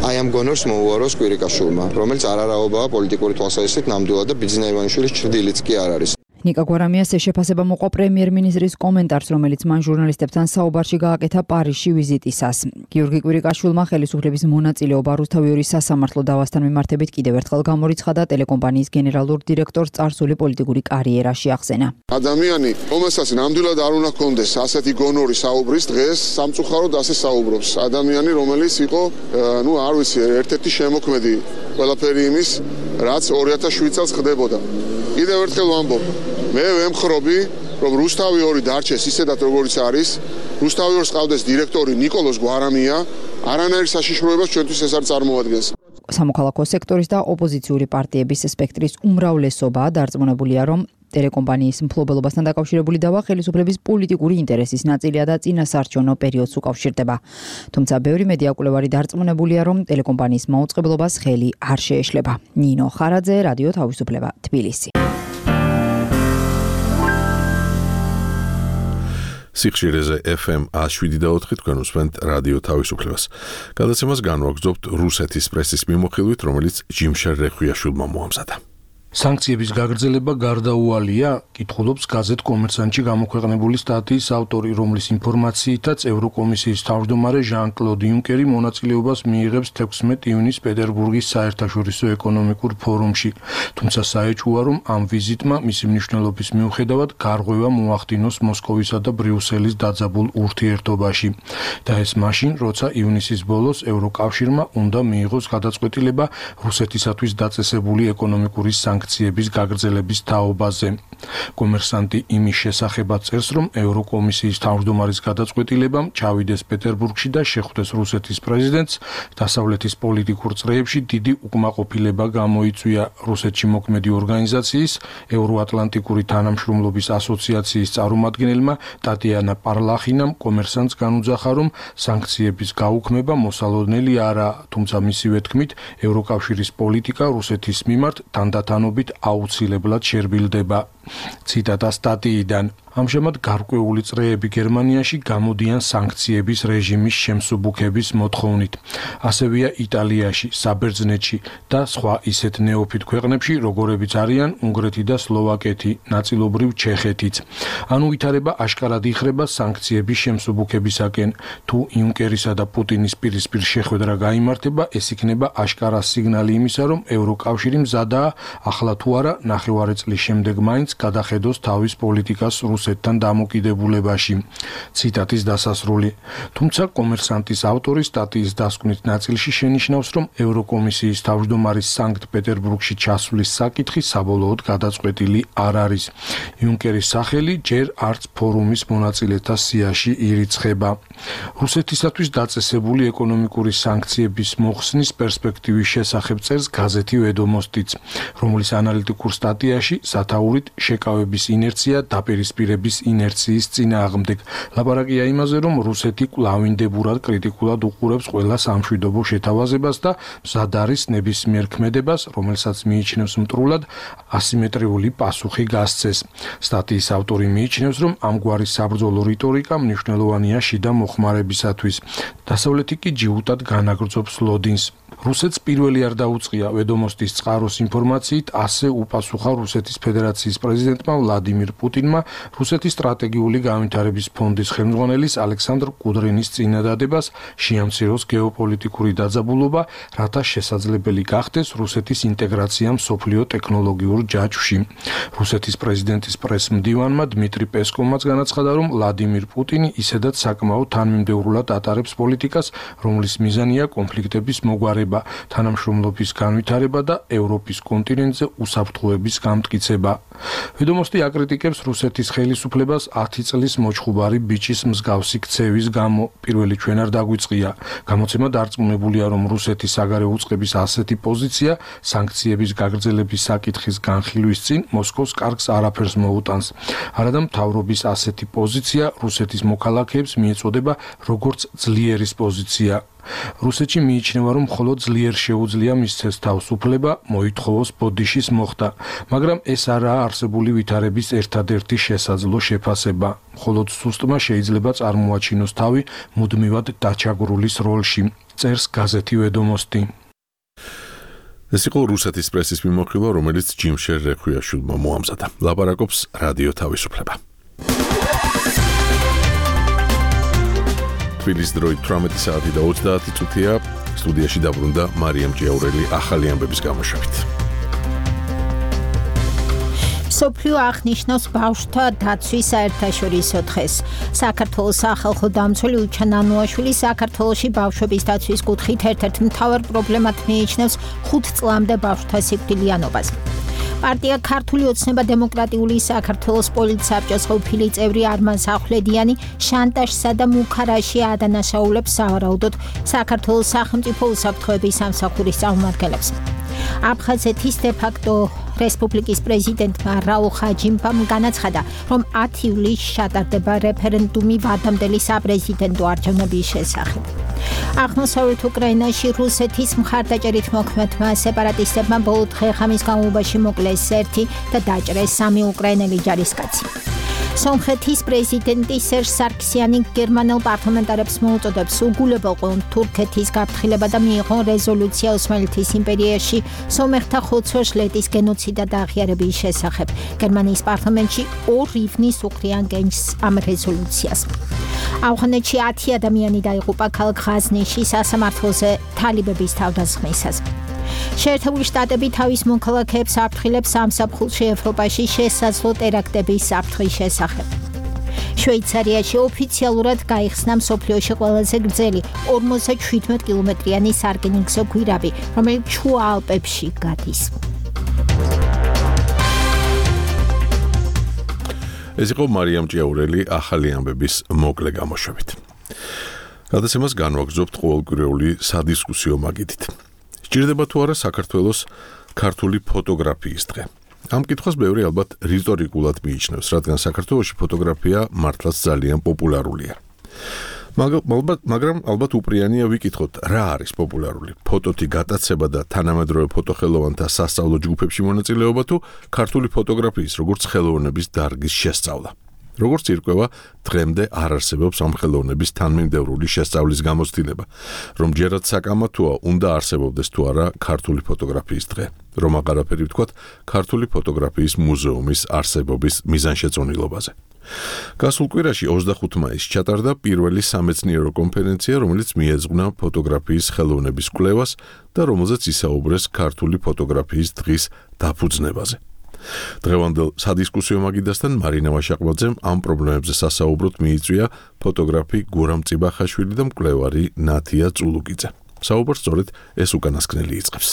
აი ამ გონორს მოუაროს კვირიკაშვილმა, რომელიც არარაობაა პოლიტიკური თვალსაზრისით ნამდვილად და ბიძინა ივანიშვილის ჭრდილიც კი არ არის. ნიკა გვარამიას ეს შეფასება მოყვა პრემიერ-მინისტრის კომენტარს, რომელიც მან ჟურნალისტებთან საუბარში გააკეთა პარიზში ვიზიტისას. გიორგი კვირიკაშვილმა ხელისუფლების მონაწილეობა რუსთავი ორი სასამართლო დავასთან მიმართებით კიდევ ერთხელ გამორიცხა და ტელეკომპანიის გენერალურ დირექტორს წარსული პოლიტიკური კარიერაში ახსენა. ადამიანი, რომელსაც ნამდვილად არ უნდა ჰქონდეს ასეთი გონორი საუბრის, დღეს სამწუხაროდ ასე საუბრობს. ადამიანი, რომელიც იყო, ну, არ ვიცი, ერთ-ერთი შემოქმედი ყველაფერი იმის, რაც ორი ათას შვიდ წელს ხდებოდა. კიდევ ერთხელ ვამბობ, მე ვემხრობი, რომ რუსთავი ორი დარჩეს ისედაც როგორც არის, რუსთავი ორს ყავდეს დირექტორი ნიკოლოზ გვარამია, არანაირ საშიშროებას ჩვენთვის ეს არ წარმოადგენს. სამოქალაქო სექტორის და ოპოზიციური პარტიების სპექტრის უმრავლესობა დარწმუნებულია, რომ ტელეკომპანიის მფლობელობასთან დაკავშირებული დავა ხელისუფლების პოლიტიკური ინტერესის ნაწილია და წინასაარჩევნო პერიოდს უკავშირდება. თუმცა ბევრი მედია კვლევარი დარწმუნებულია, რომ ტელეკომპანიის მაუწყებლობას ხელი არ შეეშლება. ნინო ხარაძე, რადიო თავისუფლება, თბილისი. სიხშირეზე ეფ ემ ათს შვიდი და ოთხი თქვენ უსმენთ რადიო თავისუფლებას. გადაცემას განვაგრძობთ რუსეთის პრესის მიმოხილვით, რომელიც ჯიმშარ რეხვიაშვილმა მოამზადა. სანქციების გაგრძელება გარდაუვალია, კითხულობს გაზეთ კომერსანტში გამოქვეყნებული სტატიის ავტორი, რომლის ინფორმაციითაც ევროკომისიის თავმჯდომარე ჟან-კლოდ იუნკერი მონაწილეობას მიიღებს თექვსმეტ ივნისს პეტერბურგის საერთაშორისო ეკონომიკურ ფორუმში. თუმცა საეჭვოა, რომ ამ ვიზიტმა მისი მნიშვნელობის მიუხედავად გარღვევა მოახდინოს მოსკოვისა და ბრიუსელის დაძაბულ ურთიერთობაში. და ეს მაშინ, როცა ივნისის ბოლოს ევროკავშირმა უნდა მიიღოს გადაწყვეტილება რუსეთისათვის დაწესებული ეკონომიკური სანქციების გაგრძელების თაობაზე. კომერსანტი იმის შესახებაც წერს, რომ ევროკომისიის თავმჯდომარის გადაწყვეტილებამ ჩავიდეს პეტერბურგში და შეხვდეს რუსეთის პრეზიდენტს, დასავლეთის პოლიტიკურ წრეებში დიდი უკმაყოფილება გამოიწვია რუსეთში მოქმედი ორგანიზაციის, ევროატლანტიკური თანამშრომლობის ასოციაციის წარმომადგენელმა ტატიანა პარლახინამ კომერსანტს განუძახა, რომ სანქციების გაუქმება მოსალოდნელი არაა, თუმცა მისივე თქმით, ევროკავშირის პოლიტიკა რუსეთის მიმართ თანდათანობით აუცილებლად შერბილდება. ციტატა სტატიიდან. ამჟამად გარკვეული წრეები გერმანიაში გამოდიან სანქციების რეჟიმის შემსუბუქების მოთხოვნით. ასევეა იტალიაში, საბერძნეთში და სხვა ისეთ ნეოფით ქვეყნებში, როგორებიც არიან უნგრეთი და სლოვაკეთი, ნაწილობრივ ჩეხეთიც. ანუ ვითარება აშკარად იხრება სანქციების შემსუბუქებისაკენ. თუ იუნკერისა და პუტინის პირისპირ შეხვედრა გაიმართება, ეს იქნება აშკარა სიგნალი იმისა, რომ ევროკავშირი მზადაა ახლა თუ არა ნახევარი წლის შემდეგ მაინც გადახედოს თავის პოლიტიკას რუსეთთან დამოკიდებულებაში. ციტატის დასასრული. თუმცა კომერსანტის ავტორი სტატიის დასკვნით ნაწილში შენიშნავს, რომ ევროკომისიის თავმჯდომარის სანქტ-პეტერბურგში ჩასვლის საკითხი საბოლოოდ გადაწყვეტილი არ არის. იუნკერის სახელი ჯერ არც ფორუმის მონაწილეთა სიაში ირიცხება. რუსეთისათვის დაწესებული ეკონომიკური სანქციების მოხსნის პერსპექტივის შესახებ წერს გაზეთი ვედომოსტიც, რომლის ანალიტიკურ სტატიაში სათაურით შეკავების ინერცია დაპირისპირების ინერციის წინააღმდეგ. ლაპარაკია იმაზე, რომ რუსეთი კვლავინდებურად კრიტიკულად უყურებს ყველა სამშვიდობო შეთავაზებას და მზად არის ნებისმიერ ქმედებას, რომელსაც მიიჩნევს მტრულად ასიმეტრიული პასუხი გასცეს. სტატიის ავტორი მიიჩნევს, რომ ამგვარი საბრძოლო რიტორიკა მნიშვნელოვანია შიდა მოხმარებისათვის. დასავლეთი კი ჯიუტად განაგრძობს ლოდინს. რუსეთს პირველი არ დაუწყია ვედომოსტის წყაროს ინფორმაციით, ასე უპასუხა რუსეთის ფედერაციის პრეზიდენტმა ვლადიმირ პუტინმა რუსეთის სტრატეგიული განვითარების ფონდის ხელმძღვანელის ალექსანდრ კუდრინის წინადადებას შეამციროს გეოპოლიტიკური დაძაბულობა, რათა შესაძლებელი გახდეს რუსეთის ინტეგრაცია მსოფლიო ტექნოლოგიურ ჯაჭვში. რუსეთის პრეზიდენტის პრესმდივანმა დმიტრი პესკოვმაც განაცხადა, რომ ვლადიმირ პუტინი ისედაც საკმაოდ თანმიმდევრულად ატარებს პოლიტიკას, რომლის მიზანია კონფლიქტების მოგვარება, თანამშრომლობის განვითარება და ევროპის კონტინენტზე უსაფრთხოების გამტკიცება. ვედომოსტი აკრიტიკებს რუსეთის ხელისუფლებას ათი წლის მოჩხუბარი ბიჭის მსგავსი ქცევის გამო. პირველი ჩვენ არ დაგვიწყია. გამოცემა დარწმუნებულია, რომ რუსეთის საგარეო უწყების ასეთი პოზიცია სანქციების გაგრძელების საკითხის განხილვის წინ მოსკოვს კარგს არაფერს მოუტანს. არადა მთავრობის ასეთი პოზიცია რუსეთის მოქალაქეებს მიეწოდება როგორც ძლიერის პოზიცია. რუსეთში მიიჩნევა, რომ მხოლოდ ძლიერ შეუძლია მისცეს თავისუფლება, მოითხოვოს ბოდიშის მოხდა, მაგრამ ეს არაა არსებული ვითარების ერთადერთი შესაძლო შეფასება. მხოლოდ სუსტმა შეიძლება წარმოაჩინოს თავი მუდმივად დაჩაგრულის როლში, წერს გაზეთი ვედომოსტი. ეს იყო რუსეთის პრესის მიმოხილვა, რომელიც ჯიმშერ რეხვიაშვილმა მოამზადა. ლაპარაკობს რადიო თავისუფლება. თბილისის დროით თვრამეტი საათი და ოცდაათი წუთია. სტუდიაში დაბრუნდა მარიამ ჭიაურელი ახალი ამბების გამოშვებით. სოფლიო აღნიშნავს ბავშვთა დაცვის საერთაშორისო დღეს. საქართველოს სახალხო დამცველი უჩან ანუაშვილი საქართველოში ბავშვების დაცვის კუთხით ერთ-ერთ მთავარ პრობლემად მიიჩნევს ხუთ წლამდე ბავშვთა სიკვდილიანობას. პარტია ქართული ოცნება დემოკრატიული საქართველოს პოლიტსაბჭოს ყოფილი წევრი არმან სახვლედიანი შანტაჟსა და მუქარაში ადანაშაულებს სავარაუდოდ საქართველოს სახელმწიფო უსაფრთხოების სამსახურის წარმომადგენლებს. აფხაზეთის დე-ფაქტო რესპუბლიკის პრეზიდენტმა რაულ ხაჯიმბამ განაცხადა, რომ ათი ივლისს ჩატარდება რეფერენდუმი ვადამდელი საპრეზიდენტო არჩევნების შესახებ. აღმოსავლეთ უკრაინაში რუსეთის მხარდაჭერით მოქმედმა სეპარატისტებმა ბოლო დღე-ღამის განმავლობაში მოკლეს ერთი და დაჭრეს სამი უკრაინელი ჯარისკაცი. სომხეთის პრეზიდენტი სერჟ სარქსიანი გერმანელ პარლამენტარებს მოუწოდებს უგულებელყონ თურქეთის გაფრთხილება და მიიღონ რეზოლუცია ოსმალეთის იმპერიაში სომეხთა ხოცვა-ჟლეტის გენოციდა და აღიარების შესახებ. გერმანიის პარლამენტში ორ ივნის უყრიან გენჯს ამ რეზოლუციას. ავღანეთში ათი ადამიანი დაიღუპა ქალაქ ღაზნიში სასამართლოზე თალიბების თავდასხმისას. შეერთებული შტატები თავის მოქალაქეებს აფრთხილებს სამსაფხულში ევროპაში შესაძლო ტერაქტების საფრთხის შესახებ. შვეიცარიაში ოფიციალურად გაიხსნა მსოფლიოში ყველაზე გრძელი ორმოცდაშვიდმეტ კილომეტრიანი სარკინიგზო გვირაბი, რომელიც შუა ალპებში გადის. ეს იყო მარიამ ჭიაურელი ახალი ამბების მოკლე გამოშვებით. გადაცემას განვაგრძობთ ყოველკვირეული სადისკუსიო მაგიდით. სჭირდება თუ არა საქართველოს ქართული ფოტოგრაფიის დღე. ამ კითხვას ბევრი ალბათ რიტორიკულად მიიჩნევს, რადგან საქართველოში ფოტოგრაფია მართლაც ძალიან პოპულარულია. მაგრამ ალბათ უპრიანია ვიკითხოთ, რა არის პოპულარული? ფოტოთი გატაცება და თანამედროვე ფოტოხელოვანთა სასწავლო ჯგუფებში მონაწილეობა თუ ქართული ფოტოგრაფიის როგორც ხელოვნების დარგის შესწავლა? როგორც ირკვევა, დღემდე არ არსებობს ამ ხელოვნების თანმიმდევრული შესწავლის გამოცდილება, რომ ჯერაც საკამათოა უნდა არსებობდეს თუ არა ქართული ფოტოგრაფიის დღე, რომ აღარაფერი ვთქვათ ქართული ფოტოგრაფიის მუზეუმის არსებობის მიზანშეწონილობაზე. გასულ კვირაში ოცდახუთი მაისს ჩატარდა პირველი სამეცნიერო კონფერენცია, რომელიც მიეძღვნა ფოტოგრაფიის ხელოვნების კვლევას და რომელზეც ისაუბრეს ქართული ფოტოგრაფიის დღის დაფუძნებაზე. დღევანდელ სადისკუსიო მაგიდასთან მარინა ვაშაყბაძემ ამ პრობლემებზე სასაუბროდ მიიწვია ფოტოგრაფი გურამ წიბახაშვილი და მკვლევარი ნათია წულუკიძე. საუბარს სწორედ ეს უკანასკნელი იწყებს.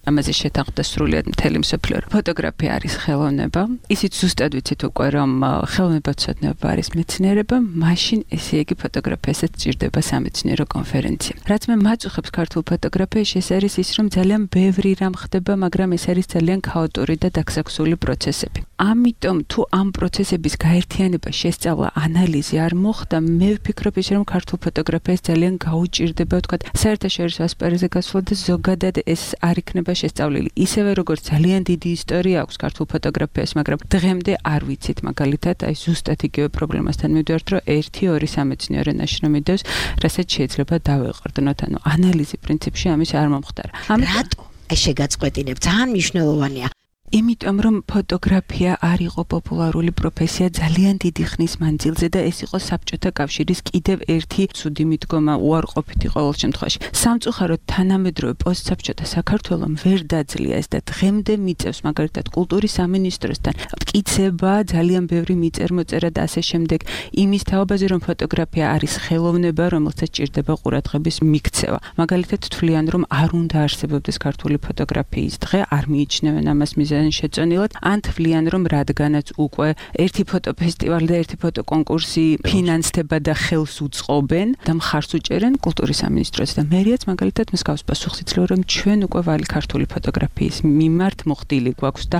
ამაზე შეთანხმდა სრულიად მთელი მსოფლიო. ფოტოგრაფია არის ხელოვნება. ისიც ზუსტად ვიცით უკვე, რომ ხელოვნებაცოდნეობა არის მეცნიერება, მაშინ ესე იგი ფოტოგრაფიასაც სჭირდება სამეცნიერო კონფერენცია. რაც მე მაწუხებს ქართულ ფოტოგრაფიაში, ეს არის ის, რომ ძალიან ბევრი რამ ხდება, მაგრამ ეს არის ძალიან ქაოტური და დაქსაქსული პროცესები. ამიტომ თუ ამ პროცესების გაერთიანება, შესწავლა, ანალიზი არ მოხდა, მე ვფიქრობ ის, რომ ქართულ ფოტოგრაფიას ძალიან გაუჭირდება, ვთქვათ, საერთაშორისო ასპარეზზე გასვლა და ზოგადად ეს არ იქნება შესწავლილი. ისევე როგორც ძალიან დიდი ისტორია აქვს ქართულ ფოტოგრაფიას, მაგრამ დღემდე არ ვიცით მაგალითად, აი ზუსტად იგივე პრობლემასთან მივდივართ, რომ ერთი ორი სამეცნიერო ნაშრომი დევს, რასაც შეიძლება დავეყრდნოთ, ანუ ანალიზი პრინციპში ამის არ მომხდარა. რატო? აი შეგაწყვეტინებ, ძალიან მნიშვნელოვანია. იმიტომ რომ ფოტოგრაფია არ იყო პოპულარული პროფესია ძალიან დიდი ხნის მანძილზე და ეს იყო საბჭოთა კავშირის კიდევ ერთი ცუდი მიდგომა უარყოფითი ყოველ შემთხვევაში. სამწუხაროდ თანამედროვე პოსტსაბჭოთა საქართველომ ვერ დაძლია ეს და დღემდე მიწევს მაგალითად კულტურის სამინისტროსთან მტკიცება, ძალიან ბევრი მიწერ-მოწერა და ასე შემდეგ იმის თაობაზე, რომ ფოტოგრაფია არის ხელოვნება, რომელსაც ჭირდება ყურადღების მიქცევა. მაგალითად თვლიან, რომ არ უნდა არსებობდეს ქართული ფოტოგრაფიის დღე, არ მიიჩნევენ ამას მიზეზად ძალიან შეწონილად, ან თვლიან რომ რადგანაც უკვე ერთი ფოტოფესტივალი და ერთი ფოტოკონკურსი ფინანსდება და ხელს უწყობენ და მხარს უჭერენ კულტურის სამინისტროც და მერიაც მაგალითად მსგავს პასუხს იძლევა რომ ჩვენ უკვე ვალი ქართული ფოტოგრაფიის მიმართ მოხდილი გვაქვს და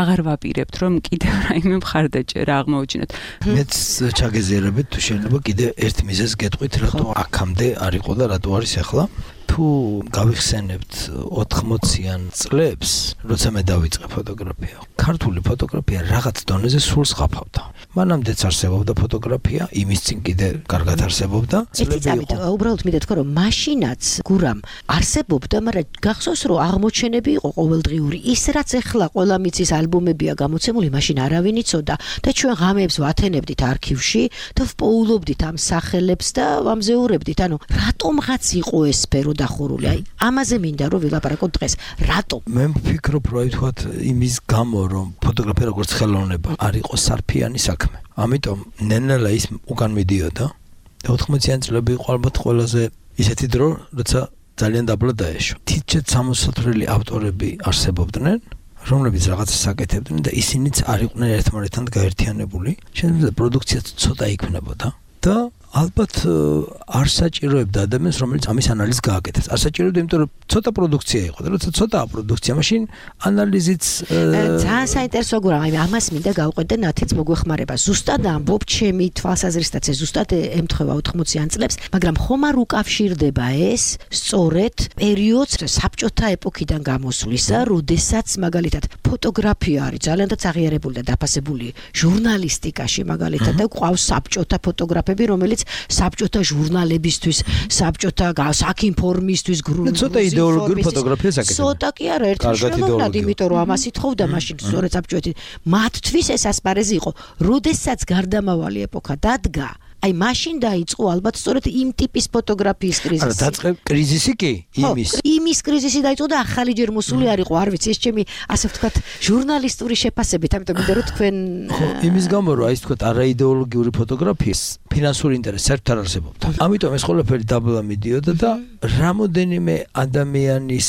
აღარ ვაპირებთ რომ კიდევ რაიმე მხარდაჭერა აღმოუჩინოთ. მეც ჩაგეზიარებით თუ შეიძლება კიდე ერთ მიზეზს გეტყვით რატო აქამდე არ იყო და რატო არის ახლა თუ გავიხსენებთ ოთხმოციან წლებს როცა მე დავიწყე ფოტოგრაფია ქართული ფოტოგრაფია რაღაც დონეზე სულ სღაფავდა მანამდეც არსებობდა ფოტოგრაფია იმის წინ კიდე კარგად არსებობდა წლები იყო უბრალოდ მინდა თქვა რომ მაშინაც გურამ არსებობდა მაგრამ გახსოვს რომ აღმოჩენები იყო ყოველდღიური ის რაც ეხლა ყველა მიცის ალბომებია გამოცემული მაშინ არავინ იცოდა და ჩვენ ღამეებს ვათენებდით არქივში და ვპოულობდით ამ სახელებს და ვამზეურებდით ანუ რატომღაც იყო ეს სფერო დახურული აი ამაზე მინდა რომ ვილაპარაკოთ დღეს რატო მე ვფიქრობ რომ თქვათ იმის გამო რომ ფოტოგრაფია როგორც ხელოვნება არ იყო სარფიანი საქმე ამიტომ ნენელა ის უკან მიდიოდა და ოთხმოციან წლები იყო ალბათ ყველაზე ისეთი დრო როცა ძალიან დაბლა დაეშო თითქოს სამოსათვრელი ავტორები არსებობდნენ რომლებიც რაღაცას აკეთებდნენ და ისინიც არ იყვნენ ერთმანეთთან გაერთიანებული შეიძლება პროდუქციაც ცოტა იქნებოდა და ალბათ არ საჭიროებდა ადამიანს რომელიც ამის ანალიზს გააკეთებს არ საჭიროებდა იმიტომ რომ ცოტა პროდუქცია იყო და როცა ცოტაა პროდუქცია მაშინ ანალიზიც ძალიან საინტერესო გურამ აი ამას მინდა გავყვეთ და ნათიც მოგვეხმარება ზუსტად ამბობ ჩემი თვალსაზრისითაც ეს ზუსტად ემთხვევა ოთხმოციან წლებს მაგრამ ხომ არ უკავშირდება ეს სწორედ პერიოდს საბჭოთა ეპოქიდან გამოსვლისა როდესაც მაგალითად ფოტოგრაფია არის ძალიანაც აღიარებული და დაფასებული ჟურნალისტიკაში მაგალითად და ყავს საბჭოთა ფოტოგრაფები რომელიც საბჭოთა ჟურნალებისთვის, საბჭოთა საქინფორმისთვის გრუნტ. ცოტა იდეოლოგიური ფოტოგრაფიას აკეთებენ. ცოტა კი არა, ერთი მნიშვნელოვნად, იმიტომ რომ ამას ითხოვდა მაშინ სწორედ საბჭოთი. მათთვის ეს ასპარეზი იყო, როდესაც გარდამავალი ეპოქა დადგა. აი მაშინ დაიწყო ალბათ სწორედ იმ ტიპის ფოტოგრაფიის კრიზისი. არა, დაწყე კრიზისი კი იმის. იმის კრიზისი დაიწყო და ახალი ჯერ მოსული არ იყო, არ ვიცი, ეს ჩემი ასე ვთქვათ, ჟურნალისტური შეფასებით, ამიტომ მინდა რომ თქვენ ხო, იმის გამო რომ აი ვთქვათ, არაიდეოლოგიური ფოტოგრაფიის ფინანსური ინტერესი საერთოდ არ არსებობდა. ამიტომ ეს ყველაფერი დაბლა მიდიოდა და რამოდენიმე ადამიანის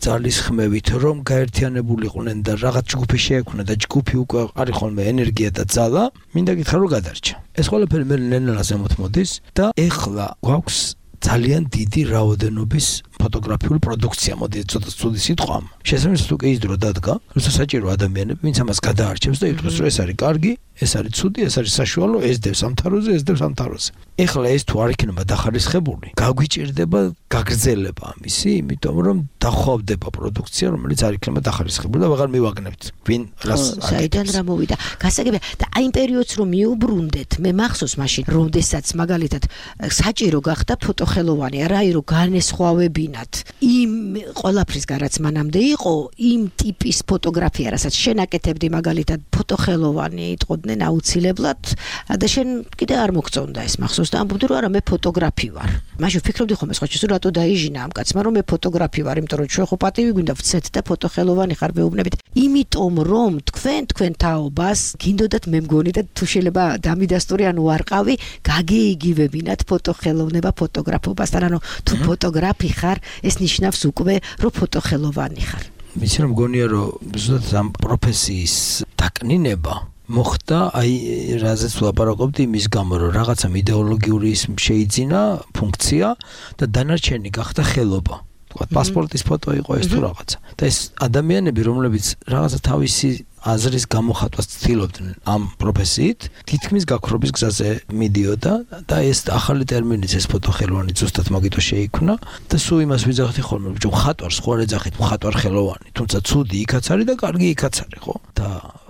ძალისხმევით რომ გაერთიანებულიყვნენ და რაღაც ჯგუფი შეექმნა და ჯგუფი უკვე არის ხოლმე ენერგია და ძალა, მინდა გითხრა რომ გადარჩა. ეს ყველაფერი მე ნენელას ემოთმოდის და ეხლა გვაქვს ძალიან დიდი რაოდენობის ფოტოგრაფიული პროდუქცია, მოდი ცოტა ცუდი სიტყვა. შესაბამისად თუ კი ის დრო დადგა, როცა საჭირო ადამიანები, ვინც ამას გადაარჩევს და იტყვის რომ ეს არის კარგი, ეს არის ცუდი, ეს არის საშუალო, ეს დევს ამ თაროზე, ეს დევს ამ თაროზე. ეხლა ეს თუ არ იქნება დახარისხებული, გაგვიჭირდება გაგრძელება ამისი, იმიტომ რომ დახვავდება პროდუქცია, რომელიც არ იქნება დახარისხებული და ვეღარ მივაგნებთ. ვინ რას საიდან რა მოვიდა? გასაგებია და აი იმ პერიოდს რომ მიუბრუნდეთ, მე მახსოვს მაშინ, როდესაც მაგალითად საჭირო გახდა ფოტოხელოვანი, არა რომ განესხვავებინათ იმ ყველაფრის გარაც მანამდე იყო, იმ ტიპის ფოტოგრაფია, რასაც შენ აკეთებდი მაგალითად ფოტოხელოვანი იტყოდნენ აუცილებლად და შენ კიდე არ მოგწონდა ეს მახსოვს და ამბობდი რომ არა მე ფოტოგრაფი ვარ. მაშინ ვფიქრობდი ხომ ეს ხოჭის რატო დაიჟინა ამ კაცმა რომ მე ფოტოგრაფი ვარ, იმიტომ რომ ჩვენ ხო პატივი გვინდა ვცეთ და ფოტოხელოვანი ხარ მეუბნებით. იმიტომ რომ თქვენ თქვენ თაობას გინდოდათ მე მგონი და თუ შეიძლება დამიდასტური ანუ არყავი გაგეიგივებინათ ფოტოხელოვნება ფოტოგრაფობასთან ანუ თუ ფოტოგრაფი ხარ ეს ნიშნავს უკვე რომ ფოტოხელოვანი ხარ. ვიცი რომ მგონია რომ ზუსტად ამ პროფესიის დაკნინება მოხდა აი რაზეც ვლაპარაკობდი იმის გამო რომ რაღაცა იდეოლოგიური ის შეიძინა ფუნქცია და დანარჩენი გახდა ხელობა. თქვათ პასპორტის ფოტო იყო ეს თუ რაღაცა. და ეს ადამიანები რომლებიც რაღაცა თავისი აზრის გამოხატვას ცდილობდნენ ამ პროფესიით, თითქმის გაქრობის გზაზე მიდიოდა და ეს ახალი ტერმინიც ეს ფოტოხელოვანი ზუსტად მაგითო შეიქმნა და სულ იმას ვიძახდი ხოლმე, რომ მხატვარს ხო არ ეძახით მხატვარ ხელოვანი, თუმცა ცუდი იქაც არის და კარგი იქაც არის, ხო? და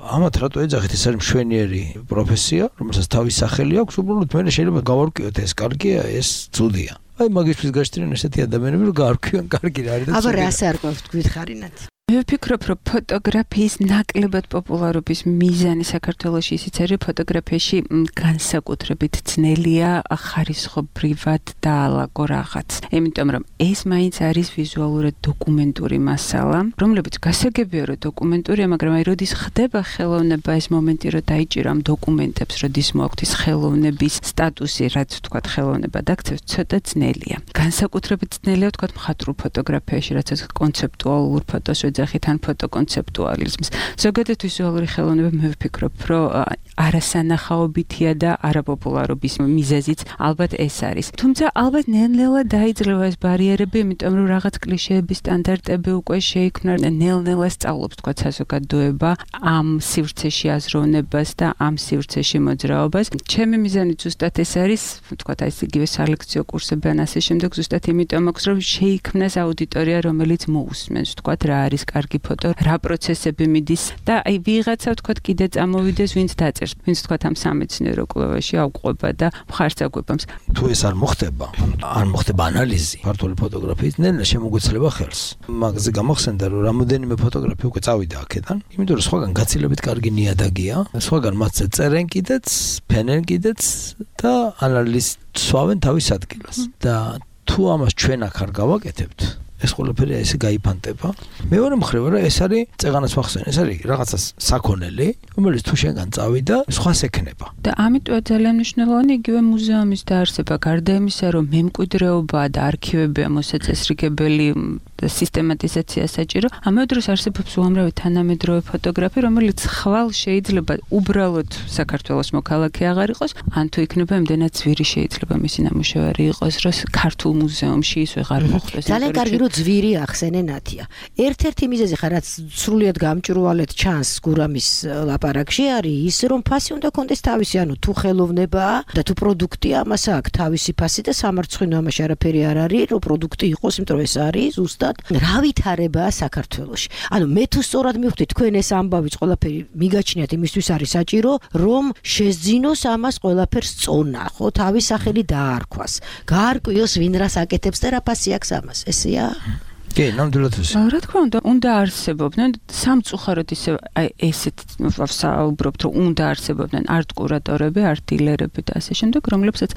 ამათ რატო ეძახით, ეს არის მშვენიერი პროფესია, რომელსაც თავის სახელი აქვს, უბრალოდ მე შეიძლება გავარკვიოთ ეს კარგია, ეს ცუდია. აი მაგისთვის გაჩნდნენ ესეთი ადამიანები, რომ გაარკვიონ კარგი რა არის და ცუდი. აბა რა ასე არ გვითხარინათ? მე ვფიქრობ, რომ ფოტოგრაფიის ნაკლებად პოპულარობის მიზანი საქართველოში ისიც არის, ფოტოგრაფიაში განსაკუთრებით ძნელია ხარისხობრივად დაალაგო რაღაც. იმიტომ რომ ეს მაინც არის ვიზუალურად დოკუმენტური მასალა, რომლებიც გასაგებია, რომ დოკუმენტურია, მაგრამ აი როდის ხდება ხელოვნება ეს მომენტი, რომ დაიჭირო ამ დოკუმენტებს, როდის მოაქვთ ის ხელოვნების სტატუსი, რაც ვთქვათ ხელოვნება დაქცევს, ცოტა ძნელია. განსაკუთრებით ძნელია ვთქვათ მხატვრულ ფოტოგრაფიაში, რაც კონცეპტუალურ ფოტოს ოჯახით ან ფოტოკონცეპტუალიზმს. ზოგადად ვიზუალური ხელოვნება მე ვფიქრობ, რომ არასანახაობითია და არაპოპულარობის მიზეზიც ალბათ ეს არის. თუმცა ალბათ ნელ-ნელა დაიძლევა ეს ბარიერები, იმიტომ რომ რაღაც კლიშეების სტანდარტები უკვე შეიქმნა, ნელ-ნელა სწავლობს თქვა საზოგადოება ამ სივრცეში აზროვნებას და ამ სივრცეში მოძრაობას. ჩემი მიზანი ზუსტად ეს არის, თქვა აი ეს იგივე სალექციო კურსები ან ასე შემდეგ, ზუსტად იმიტომ აქვს, რომ შეიქმნას აუდიტორია, რომელიც მოусმენს, თქვა რა არის კარგი ფოტო, რა პროცესები მიდის და აი ვიღაცა თქვა კიდე წამოვიდეს, ვინც დაწერს, ვინც თქვა ამ სამეცნიერო კვლევაში აუყვება და მხარს აგვებამს. თუ ეს არ მოხდება, არ მოხდება ანალიზი ქართული ფოტოგრაფიის, ნელა შემოგვეცლება ხელს. მაგაზე გამახსენდა, რომ რამოდენიმე ფოტოგრაფი უკვე წავიდა აქედან, იმიტომ რომ სხვაგან გაცილებით კარგი ნიადაგია, სხვაგან მათზე წერენ კიდეც, ფენენ კიდეც და ანალიზს სვავენ თავის ადგილას. და თუ ამას ჩვენ აქ არ გავაკეთებთ, ეს ყველაფერი ესე გაიფანტება. მეორე მხრივ რა ეს არის წეღანას ვახსენე, ეს არის რაღაცა საქონელი, რომელიც თუ შენგან წავიდა, სხვას ექნება. და ამიტომ ძალიან მნიშვნელოვანი იგივე მუზეუმის დაარსება, გარდა იმისა, რომ მემკვიდრეობა და არქივებია მოსაწესრიგებელი და სისტემატიზაცია საჭირო, ამავე დროს არსებობს უამრავი თანამედროვე ფოტოგრაფი, რომელიც ხვალ შეიძლება უბრალოდ საქართველოს მოქალაქე აღარ იყოს, ან თუ იქნება იმდენად ძვირი შეიძლება მისი ნამუშევარი იყოს, რომ ქართულ მუზეუმში ის ვეღარ მოხვდეს. ძალიან კარგი რომ ძვირი ახსენე ნათია. ერთ-ერთი მიზეზი ხარ რაც სრულიად გამჭვირვალედ ჩანს გურამის ლაპარაკში არის ის, რომ ფასი უნდა კონდეს თავისი, ანუ თუ ხელოვნებაა და თუ პროდუქტია, ამას აქვს თავისი ფასი და სამარცხვინო ამაში არაფერი არ არის, რომ პროდუქტი იყოს, იმიტომ რომ ეს არის ზუსტად რა ვითარებაა საქართველოში. ანუ მე თუ სწორად მივხვდი თქვენ ეს ამბავიც ყველაფერი მიგაჩნიათ იმისთვის არის საჭირო, რომ შეძინოს ამას ყველაფერს წონა, ხო, თავის სახელი დაარქვას. გაარკვიოს ვინ რას აკეთებს და რა ფასი აქვს ამას. ესეა? კი, ნამდვილად ისე. რა თქმა უნდა, უნდა არსებობდნენ სამწუხაროდ ისე აი ესეთ ვსაუბრობთ, რომ უნდა არსებობდნენ არტ კურატორები, არტ დილერები და ასე შემდეგ, რომლებსაც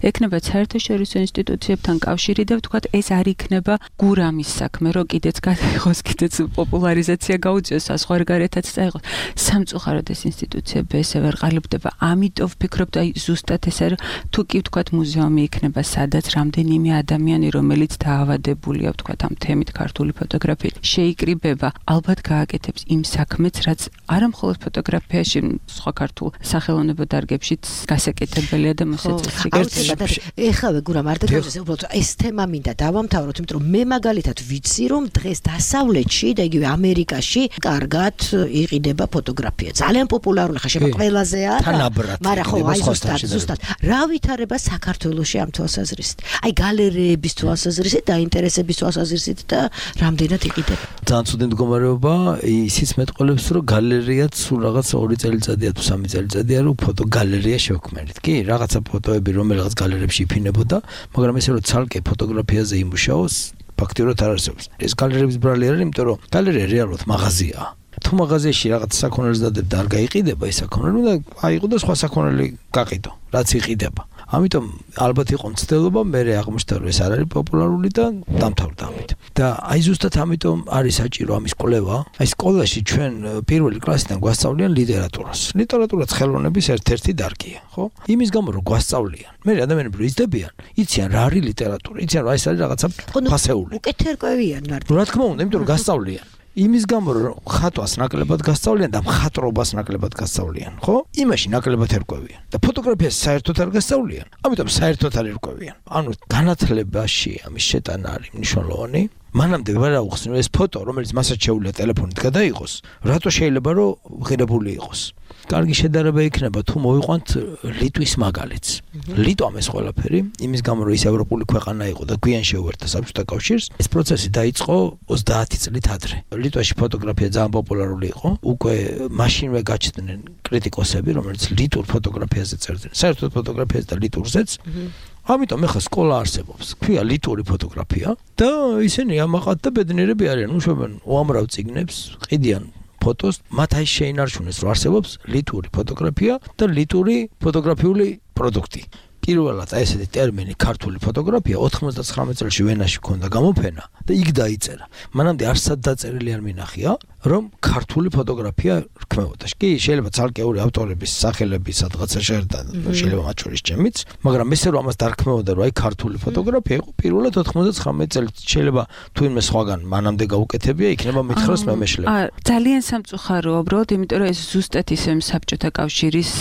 ექნება საერთაშორისო ინსტიტუციებთან კავშირი და ვთქვათ, ეს არ იქნება გურამის საქმე, რომ კიდეც გაიღოს, კიდეც პოპულარიზაცია გაუწიოს, საზღვარგარეთაც წაიღოს. სამწუხაროდ ეს ინსტიტუციები ესე ვერ ყალიბდება. ამიტომ ვფიქრობ, აი ზუსტად ეს არის, თუ კი ვთქვათ, მუზეუმი იქნება, სადაც რამდენიმე ადამიანი, რომელიც დაავადებულია, ვთქვათ, ამ თემით ქართული ფოტოგრაფიით შეიკრიბება, ალბათ გააკეთებს იმ საქმეც, რაც არა მხოლოდ ფოტოგრაფიაში, სხვა ქართულ სახელოვნებო დარგებშიც გასაკეთებელია და მოსაწესრიგებელი. ეხლა გურამ არ დაგავიდეს, უბრალოდ ეს თემა მინდა დავამთავროთ, იმიტომ რომ მე მაგალითად ვიცი, რომ დღეს დასავლეთში და იგივე ამერიკაში კარგად იყიდება ფოტოგრაფია. ძალიან პოპულარული ხა შემა ყველაზეა. მაგრამ ხო, აი ზუსტად, ზუსტად. რა ვითარება საქართველოში ამ თვალსაზრისით? აი გალერეების თვალსაზრისით და ინტერესების თვალსაზრისით და რამდენად იყიდება. ძალიან ცუდი მდგომარეობა, ისიც მეტყოლებს, რომ გალერეაც სულ რაღაც ორი წელიწადია თუ სამი წელიწადია, რომ ფოტო გალერეა შევქმნით. კი, რაღაცა ფოტოები რომელიღაც გალერეებში იფინებოდა, მაგრამ ესე რომ ცალკე ფოტოგრაფიაზე იმუშაოს, ფაქტიურად არ არსებობს. ეს გალერეების ბრალი არის, იმიტომ რომ გალერეა რეალურად მაღაზიაა. თუ მაღაზიაში რაღაც საქონელს დადებ და არ გაიყიდება ეს საქონელი, უნდა აიყო და სხვა საქონელი გაყიდო, რაც იყიდება. ამიტომ ალბათ იყო მცდელობა, მე აღმოჩნდა რომ ეს არ არის პოპულარული და დამთავრდა ამით. და აი ზუსტად ამიტომ არის საჭირო ამის კვლევა. აი სკოლაში ჩვენ პირველი კლასიდან გვასწავლიან ლიტერატურას. ლიტერატურაც ხელოვნების ერთ-ერთი დარგია, ხო? იმის გამო რომ გვასწავლიან. მე ადამიანები რომ იზრდებიან, იციან რა არის ლიტერატურა, იციან რომ ეს არის რაღაცა ფასეული. უკეთ ერკვევიან მარტო. რა თქმა უნდა, იმიტომ რომ გასწავლიან. იმის გამო რომ ხატვას ნაკლებად გასწავლიან და მხატვრობას ნაკლებად გასწავლიან, ხო? იმაში ნაკლებად ერკვევიან. და ფოტოგრაფიას საერთოდ არ გასწავლიან. ამიტომ საერთოდ არ ერკვევიან. ანუ განათლებაში ამის შეტანა არის მნიშვნელოვანი. მანამდე ვერ აუხსნო ეს ფოტო, რომელიც მასაც შეუძლია ტელეფონით გადაიღოს, რატო შეიძლება რომ ღირებული იყოს? კარგი შედარება იქნება თუ მოვიყვანთ ლიტვის მაგალითს. ლიტვამ ეს ყველაფერი, იმის გამო რომ ის ევროპული ქვეყანა იყო და გვიან შეუერთდა საბჭოთა კავშირს, ეს პროცესი დაიწყო ოცდაათი წლით ადრე. ლიტვაში ფოტოგრაფია ძალიან პოპულარული იყო. უკვე მაშინვე გაჩნდნენ კრიტიკოსები, რომელიც ლიტურ ფოტოგრაფიაზე წერდნენ. საერთოდ ფოტოგრაფიაზე და ლიტურზეც. ამიტომ ეხლა სკოლა არსებობს. ქვია ლიტური ფოტოგრაფია და ისინი ამაყად და ბედნიერები არიან, უშვებენ უამრავ წიგნებს, ყიდიან ფოტოს, მათ აი შეინარჩუნეს, რომ არსებობს ლიტური ფოტოგრაფია და ლიტური ფოტოგრაფიული პროდუქტი. პირველად აი ესეთი ტერმინი ქართული ფოტოგრაფია ოთხმოცდაცხრამეტ წელს ვენაში ქონდა გამოფენა და იქ დაიწერა. მანამდე არსად დაწერილი არ მინახია. რომ ქართული ფოტოგრაფია რქმეოდა. კი, შეიძლება ცალკეული ავტორების სახელები სადღაცა შეერთა, შეიძლება მათ შორის ჩემიც, მაგრამ ესე რომ ამას დარქმეოდა, რომ აი ქართული ფოტოგრაფია იყო პირველად ოთხმოცდათხრამეტი წელს. შეიძლება თუ იმ სხვაგან მანამდე გაუკეთებია, იქნება მითხრას მემეშლები. აა, ძალიან სამწუხაროა, უბრალოდ, იმიტომ რომ ეს ზუსტად ისე საბჭოთა კავშირის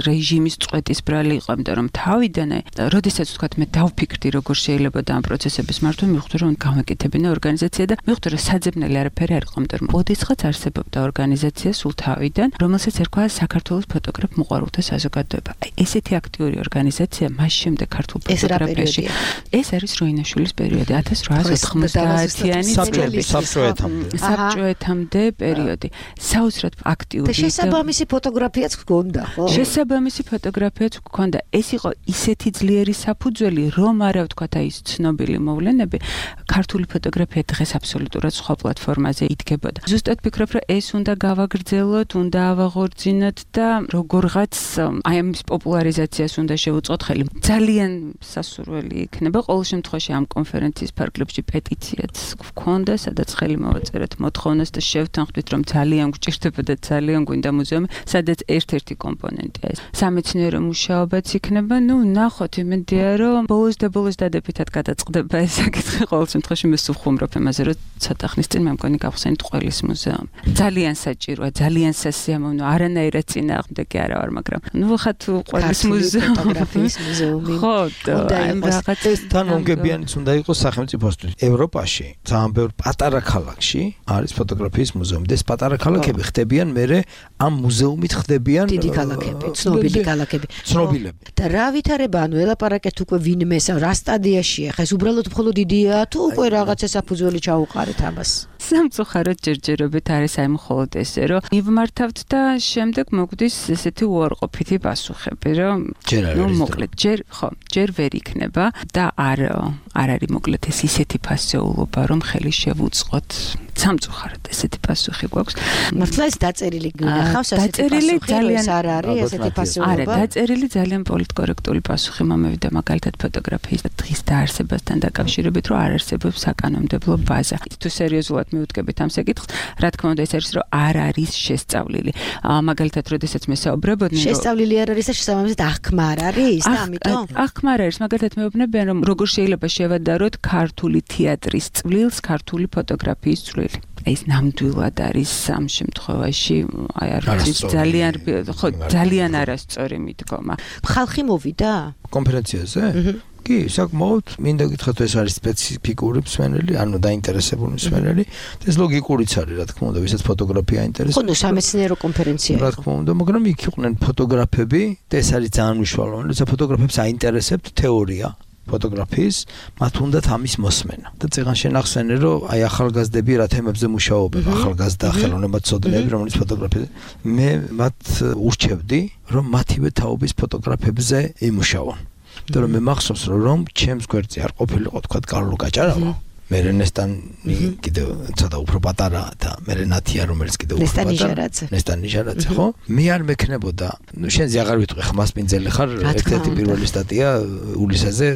რეჟიმის წვეთის ბრალი იყო, იმიტომ რომ თავიდანე, როდესაც ვთქვათ, მე დავფიქრდი, როგორ შეიძლება და ამ პროცესების მართვა, მივხვდი, რომ გამეკეთებინა ორგანიზაცია და მივხვდი, რომ საძებნელი არაფერი არ იყო, იმიტომ რომ ოდესღაც არსებობდა ორგანიზაცია სულ თავიდან, რომელსაც ერქვა საქართველოს ფოტოგრაფ მოყვარულთა საზოგადოება. აი, ესეთი აქტიური ორგანიზაცია მას შემდეგ ქართულ ფოტოგრაფიაში. ეს არის როინაშვილის პერიოდი, ათას რვაასი ოთხმოცდაათიანი წელი. საბჭოეთამდე. საბჭოეთამდე პერიოდი. საოცრად აქტიური და შესაბამისი ფოტოგრაფიაც გქონდა, ხო? შესაბამისი ფოტოგრაფიაც გქონდა. ეს იყო ისეთი ძლიერი საფუძველი, რომ არა ვთქვათ, აი ეს ცნობილი მოვლენები, ქართული ფოტოგრაფია დღეს აბსოლუტურად სხვა პლატფორმაზე იდგებოდა. ზუსტად ვფიქრობ, რომ ეს უნდა გავაგრძელოთ, უნდა ავაღორძინოთ და როგორღაც აი ამის პოპულარიზაციას უნდა შევუწყოთ ხელი. ძალიან სასურველი იქნება ყოველ შემთხვევაში ამ კონფერენციის ფარგლებში პეტიციაც გქონდა, სადაც ხელი მოვაწერეთ მოთხოვნას და შევთანხმდით, რომ ძალიან გვჭირდება და ძალიან გვინდა მუზეუმი, სადაც ერთ-ერთი კომპონენტია ეს. სამეცნიერო მუშაობაც იქნება, ნუ ნახოთ, იმედია, რომ ბოლოს და ბოლოს დადებითად გადაწყდება ეს საკითხი. ყოველ შემთხვევაში მე სულ ხუმრობ იმაზე, რომ ცოტა ხნის წინ მე მგონი გავხსენით ყველის მუზეუმი. ძალიან საჭიროა, ძალიან სასიამოვნო, არანაირად წინააღმდეგი არა ვარ, მაგრამ ნუ ხა თუ ყველის მუზეუმი, ფოტოგრაფიის მუზეუმი. ხო, და ამ რაღაც თან მომგებიანიც უნდა იყოს სახელმწიფოსთვის. ევროპაში ძალიან ბევრ პატარა ქალაქში არის ფოტოგრაფიის მუზეუმი. ეს პატარა ქალაქები ხდებიან მერე ამ მუზეუმით ხდებიან დიდი ქალაქები, ცნობილი ქალაქები. ცნობილები. და რა ვითარება, ანუ ელაპარაკეთ უკვე ვინმე, რა სტადიაშია, ხა ეს უბრალოდ მხოლოდ იდეაა თუ უკვე რაღაცა საფუძველი ჩაუყარეთ ამას? სამწუხაროდ ჯერჯერობით არის აი მხოლოდ ესე, რომ მივმართავთ და შემდეგ მოგვდის ესეთი უარყოფითი პასუხები, რომ ნუ მოკლედ ჯერ ხო, ჯერ ვერ იქნება და არ არ არის მოკლედ ეს ისეთი ფასეულობა, რომ ხელი შევუწყოთ. სამწუხაროდ ესეთი პასუხი გვაქვს. მართლა ეს დაწერილი გინახავს ესეთი პასუხი, ეს არ არის ესეთი პასუხი. არა, დაწერილი ძალიან პოლიტკორექტული პასუხი მომევიდა მაგალითად ფოტოგრაფიის დღის დაარსებასთან დაკავშირებით, რომ არ არსებობს საკანონმდებლო ბაზა. თუ სერიოზულად მივუდგებით ამ საკითხს, რა თქმა უნდა, ეს არის, რომ არ არის შესწავლილი. მაგალითად, როდესაც მე საუბრობოდნენ, რომ შესწავლილი არ არის და შესაბამისად აღქმა არ არის და ამიტომ აღქმა არ არის. მაგალითად, მეუბნებიან, რომ როგორ შეიძლება შევადაროთ ქართული თეატრის წვლილს ქართული ფოტოგრაფიის წვლილს. ეს ნამდვილად არის ამ შემთხვევაში აი არის ძალიან ხო ძალიან არასწორი მიდგომა. ხალხი მოვიდა კონფერენციაზე? კი, საკმაოდ მინდა გითხრათ, ეს არის სპეციფიკური მსმენელი, ანუ დაინტერესებული მსმენელი. ეს ლოგიკურიც არის, რა თქმა უნდა, ვისაც ფოტოგრაფია აინტერესებს. ხო, სამეცნიერო კონფერენცია. რა თქმა უნდა, მაგრამ იქ იყვნენ ფოტოგრაფები და ეს არის ძალიან მნიშვნელოვანი, როცა ფოტოგრაფებს აინტერესებთ თეორია ფოტოგრაფიის, მათ უნდათ ამის მოსმენა. და წეგან შენახსენე, რომ აი ახალგაზრდები რა თემებზე მუშაობენ, ახალგაზრდა ხელოვნებაცოდნეები, რომელიც ფოტოგრაფია. მე მათ ურჩევდი, რომ მათივე თაობის ფოტოგრაფებზე იმუშაონ. და რომ მე მახსოვს, რომ ჩემს გვერდზე არ ყოფილიყო თქვა კარლო გაჭარავა. მე რენესტანი კიდევ ცოტა უფრო პატარა და მე რენათია რომელიც კიდევ უფრო პატარა. ნესტანი ჟარაძე, ხო? მე არ მექნებოდა, ნუ შენზე აღარ ვიტყვი, ხმასპინძელი ხარ, ერთ-ერთი პირველი სტატია ულისაზე.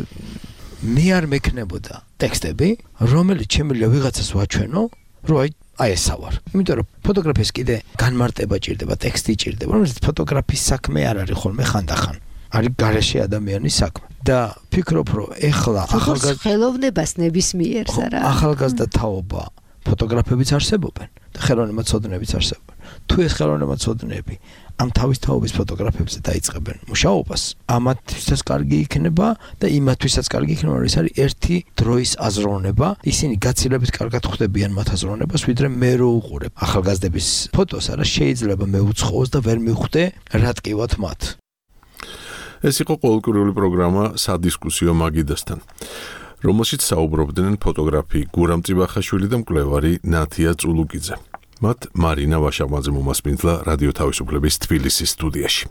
მე არ მექნებოდა ტექსტები, რომელიც შემიძლია ვიღაცას ვაჩვენო, რომ აი აი ესა ვარ. იმიტომ რომ ფოტოგრაფიის კიდე განმარტება ჭირდება, ტექსტი ჭირდება, რომელიც ფოტოგრაფიის საქმე არ არის ხოლმე ხანდახან. არის გარეშე ადამიანის საქმე. და ფიქრობ, რომ ეხლა ახალგაზრდა ხელოვნებას ნებისმიერს არა. ახალგაზრდა თაობა ფოტოგრაფებიც არსებობენ და ხელოვნებაცოდნეებიც არსებობენ. თუ ეს ხელოვნებაცოდნეები ამ თავის თაობის ფოტოგრაფებზე დაიწყებენ მუშაობას, ამათვისაც კარგი იქნება და იმათვისაც კარგი იქნება, რომ ეს არის ერთი დროის აზროვნება. ისინი გაცილებით კარგად ხვდებიან მათ აზროვნებას, ვიდრე მე რო უყურებ ახალგაზრდების ფოტოს, არა შეიძლება მე უცხოოს და ვერ მივხვდე რა ტკივათ მათ. ეს იყო ყოველკვირეული პროგრამა სადისკუსიო მაგიდასთან, რომელშიც საუბრობდნენ ფოტოგრაფი გურამ წიბახაშვილი და მკვლევარი ნათია წულუკიძე. მათ მარინა ვაშაღმაძე მომასპინძლა რადიო თავისუფლების თბილისის სტუდიაში.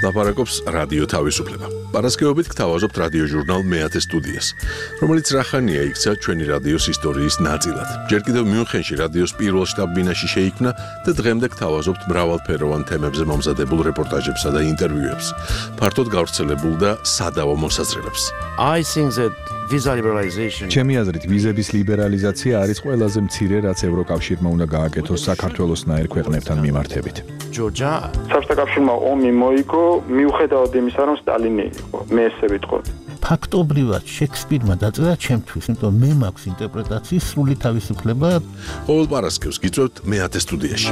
ლაპარაკობს რადიო თავისუფლება. Პარასკევობით გთავაზობთ რადიო ჟურნალ მეათე სტუდიას, რომელიც რახანია იქცა ჩვენი რადიოს ისტორიის ნაწილად. ჯერ კიდევ მიუნხენში რადიოს პირველ შტაბ-ბინაში შეიქმნა და დღემდე გთავაზობთ მრავალფეროვან თემებზე მომზადებულ რეპორტაჟებსა და ინტერვიუებს, ფართოდ გავრცელებულ და სადავო მოსაზრებებს. I think that visa liberalization ჩემი აზრით ვიზების ლიბერალიზაცია არის ყველაზე მცირე, რაც ევროკავშირმა უნდა გააკეთოს საქართველოსნაირ ქვეყნებთან მიმართებით. Georgia საბჭოთა კავშირმა ომი მოიგო მიუხედავად იმისა, რომ სტალინი იყო, მე ესე ვიტყოდი. ფაქტობრივად შექსპირმა დაწერა ჩემთვის, იმიტომ მე მაქვს ინტერპრეტაციის სრული თავისუფლება. ყოველ პარასკევს გიწევთ მეათე სტუდიაში.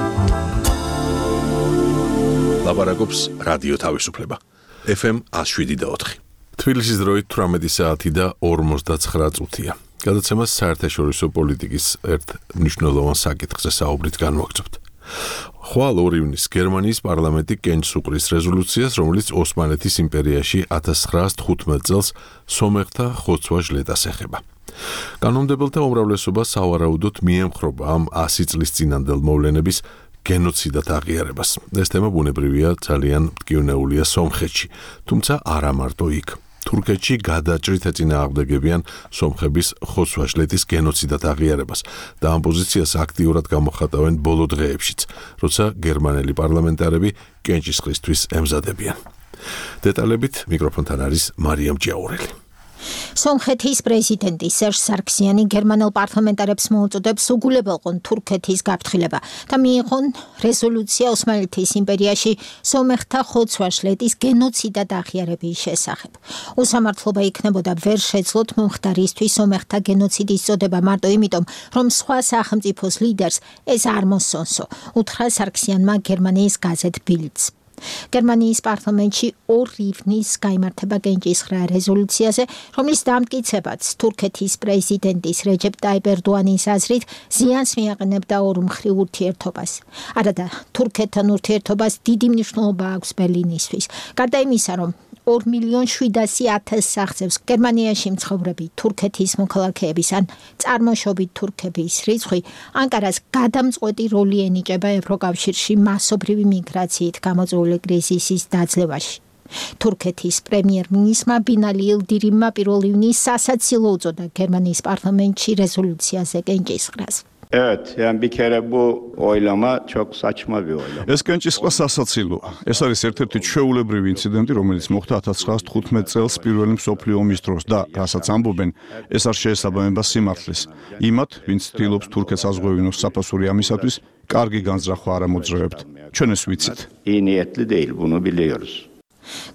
ლაპარაკობს რადიო თავისუფლება. F M one oh seven და four. თბილისის დროით თვრამეტი საათი და ორმოცდაცხრა წუთია. გადაცემას საერთაშორისო პოლიტიკის ერთ მნიშვნელოვან საკითხზე საუბრით განვაგრძობთ. ხვალ ორი ივნის გერმანიის პარლამენტი კენჭს უყრის რეზოლუციას, რომელიც ოსმალეთის იმპერიაში ათას ცხრაას თხუთმეტ წელს სომეხთა ხოცვა ჟლეტას ეხება. კანონმდებელთა უმრავლესობა სავარაუდოდ მიემხრობა ამ ასი წლის წინანდელ მოვლენების გენოციდად აღიარებას. ეს თემა ბუნებრივია ძალიან მტკივნეულია სომხეთში, თუმცა არა მარტო იქ. თურქეთში გადაჭრით ეწინააღმდეგებიან სომხების ხოცვა-ჟლეტის გენოციდად აღიარებას და ამ პოზიციას აქტიურად გამოხატავენ ბოლო დღეებშიც, როცა გერმანელი პარლამენტარები კენჭისყრისთვის ემზადებიან. დეტალებით მიკროფონთან არის მარიამ ჯიაურელი. სომხეთის პრეზიდენტი სერჟ სარქსიანი გერმანელ პარლამენტარებს მოუწოდებს უგულებელყონ თურქეთის გაფრთხილება და მიიღონ რეზოლუცია ოსმალეთის იმპერიაში სომეხთა ხოცვა-ჟლეტის გენოციდად აღიარების შესახებ. უსამართლობა იქნებოდა ვერ შეძლოთ მომხდარისთვის სომეხთა გენოციდის წოდება მარტო იმიტომ, რომ სხვა სახელმწიფოს ლიდერს ეს არ მოსწონსო, უთხრა სარქსიანმა გერმანიის გაზეთ ბილდს. გერმანიის პარლამენტში ორ ივნის გაიმართება კენჭისყრა რეზოლუციაზე, რომლის დამტკიცებაც თურქეთის პრეზიდენტის რეჯეპ ტაიპ ერდოანის აზრით ზიანს მიაყენებდა ორმხრივ ურთიერთობას. არადა თურქეთთან ურთიერთობას დიდი მნიშვნელობა აქვს ბერლინისთვის. გარდა იმისა, რომ ორ მილიონ შვიდასი ათას აღწევს გერმანიაში მცხოვრები თურქეთის მოქალაქეების ან წარმოშობით თურქების რიცხვი, ანკარას გადამწყვეტი როლი ენიჭება ევროკავშირში მასობრივი მიგრაციით გამოწვეული კრიზისის დაძლევაში. თურქეთის პრემიერ-მინისტრმა ბინალი ილდირიმმა პირველ ივნის სასაცილო უწოდა გერმანიის პარლამენტში რეზოლუციაზე კენჭისყრას. Evet, yani bir kere bu oylama çok saçma bir oylama. ეს კენჭისყრა სასაცილოა. ეს არის ერთ-ერთი ჩვეულებრივი ინციდენტი, რომელიც მოხდა ათას ცხრაას თხუთმეტ წელს პირველი მსოფლიო ომის დროს და რასაც ამბობენ, ეს არ შეესაბამება სიმართლეს. იმათ, ვინც ცდილობს თურქეთს ազღვევინოს საფასური ამისათვის, კარგი განზრახვა არ ამოძრავებთ. ჩვენ ეს ვიცით. İyi niyetli değil, bunu biliyoruz.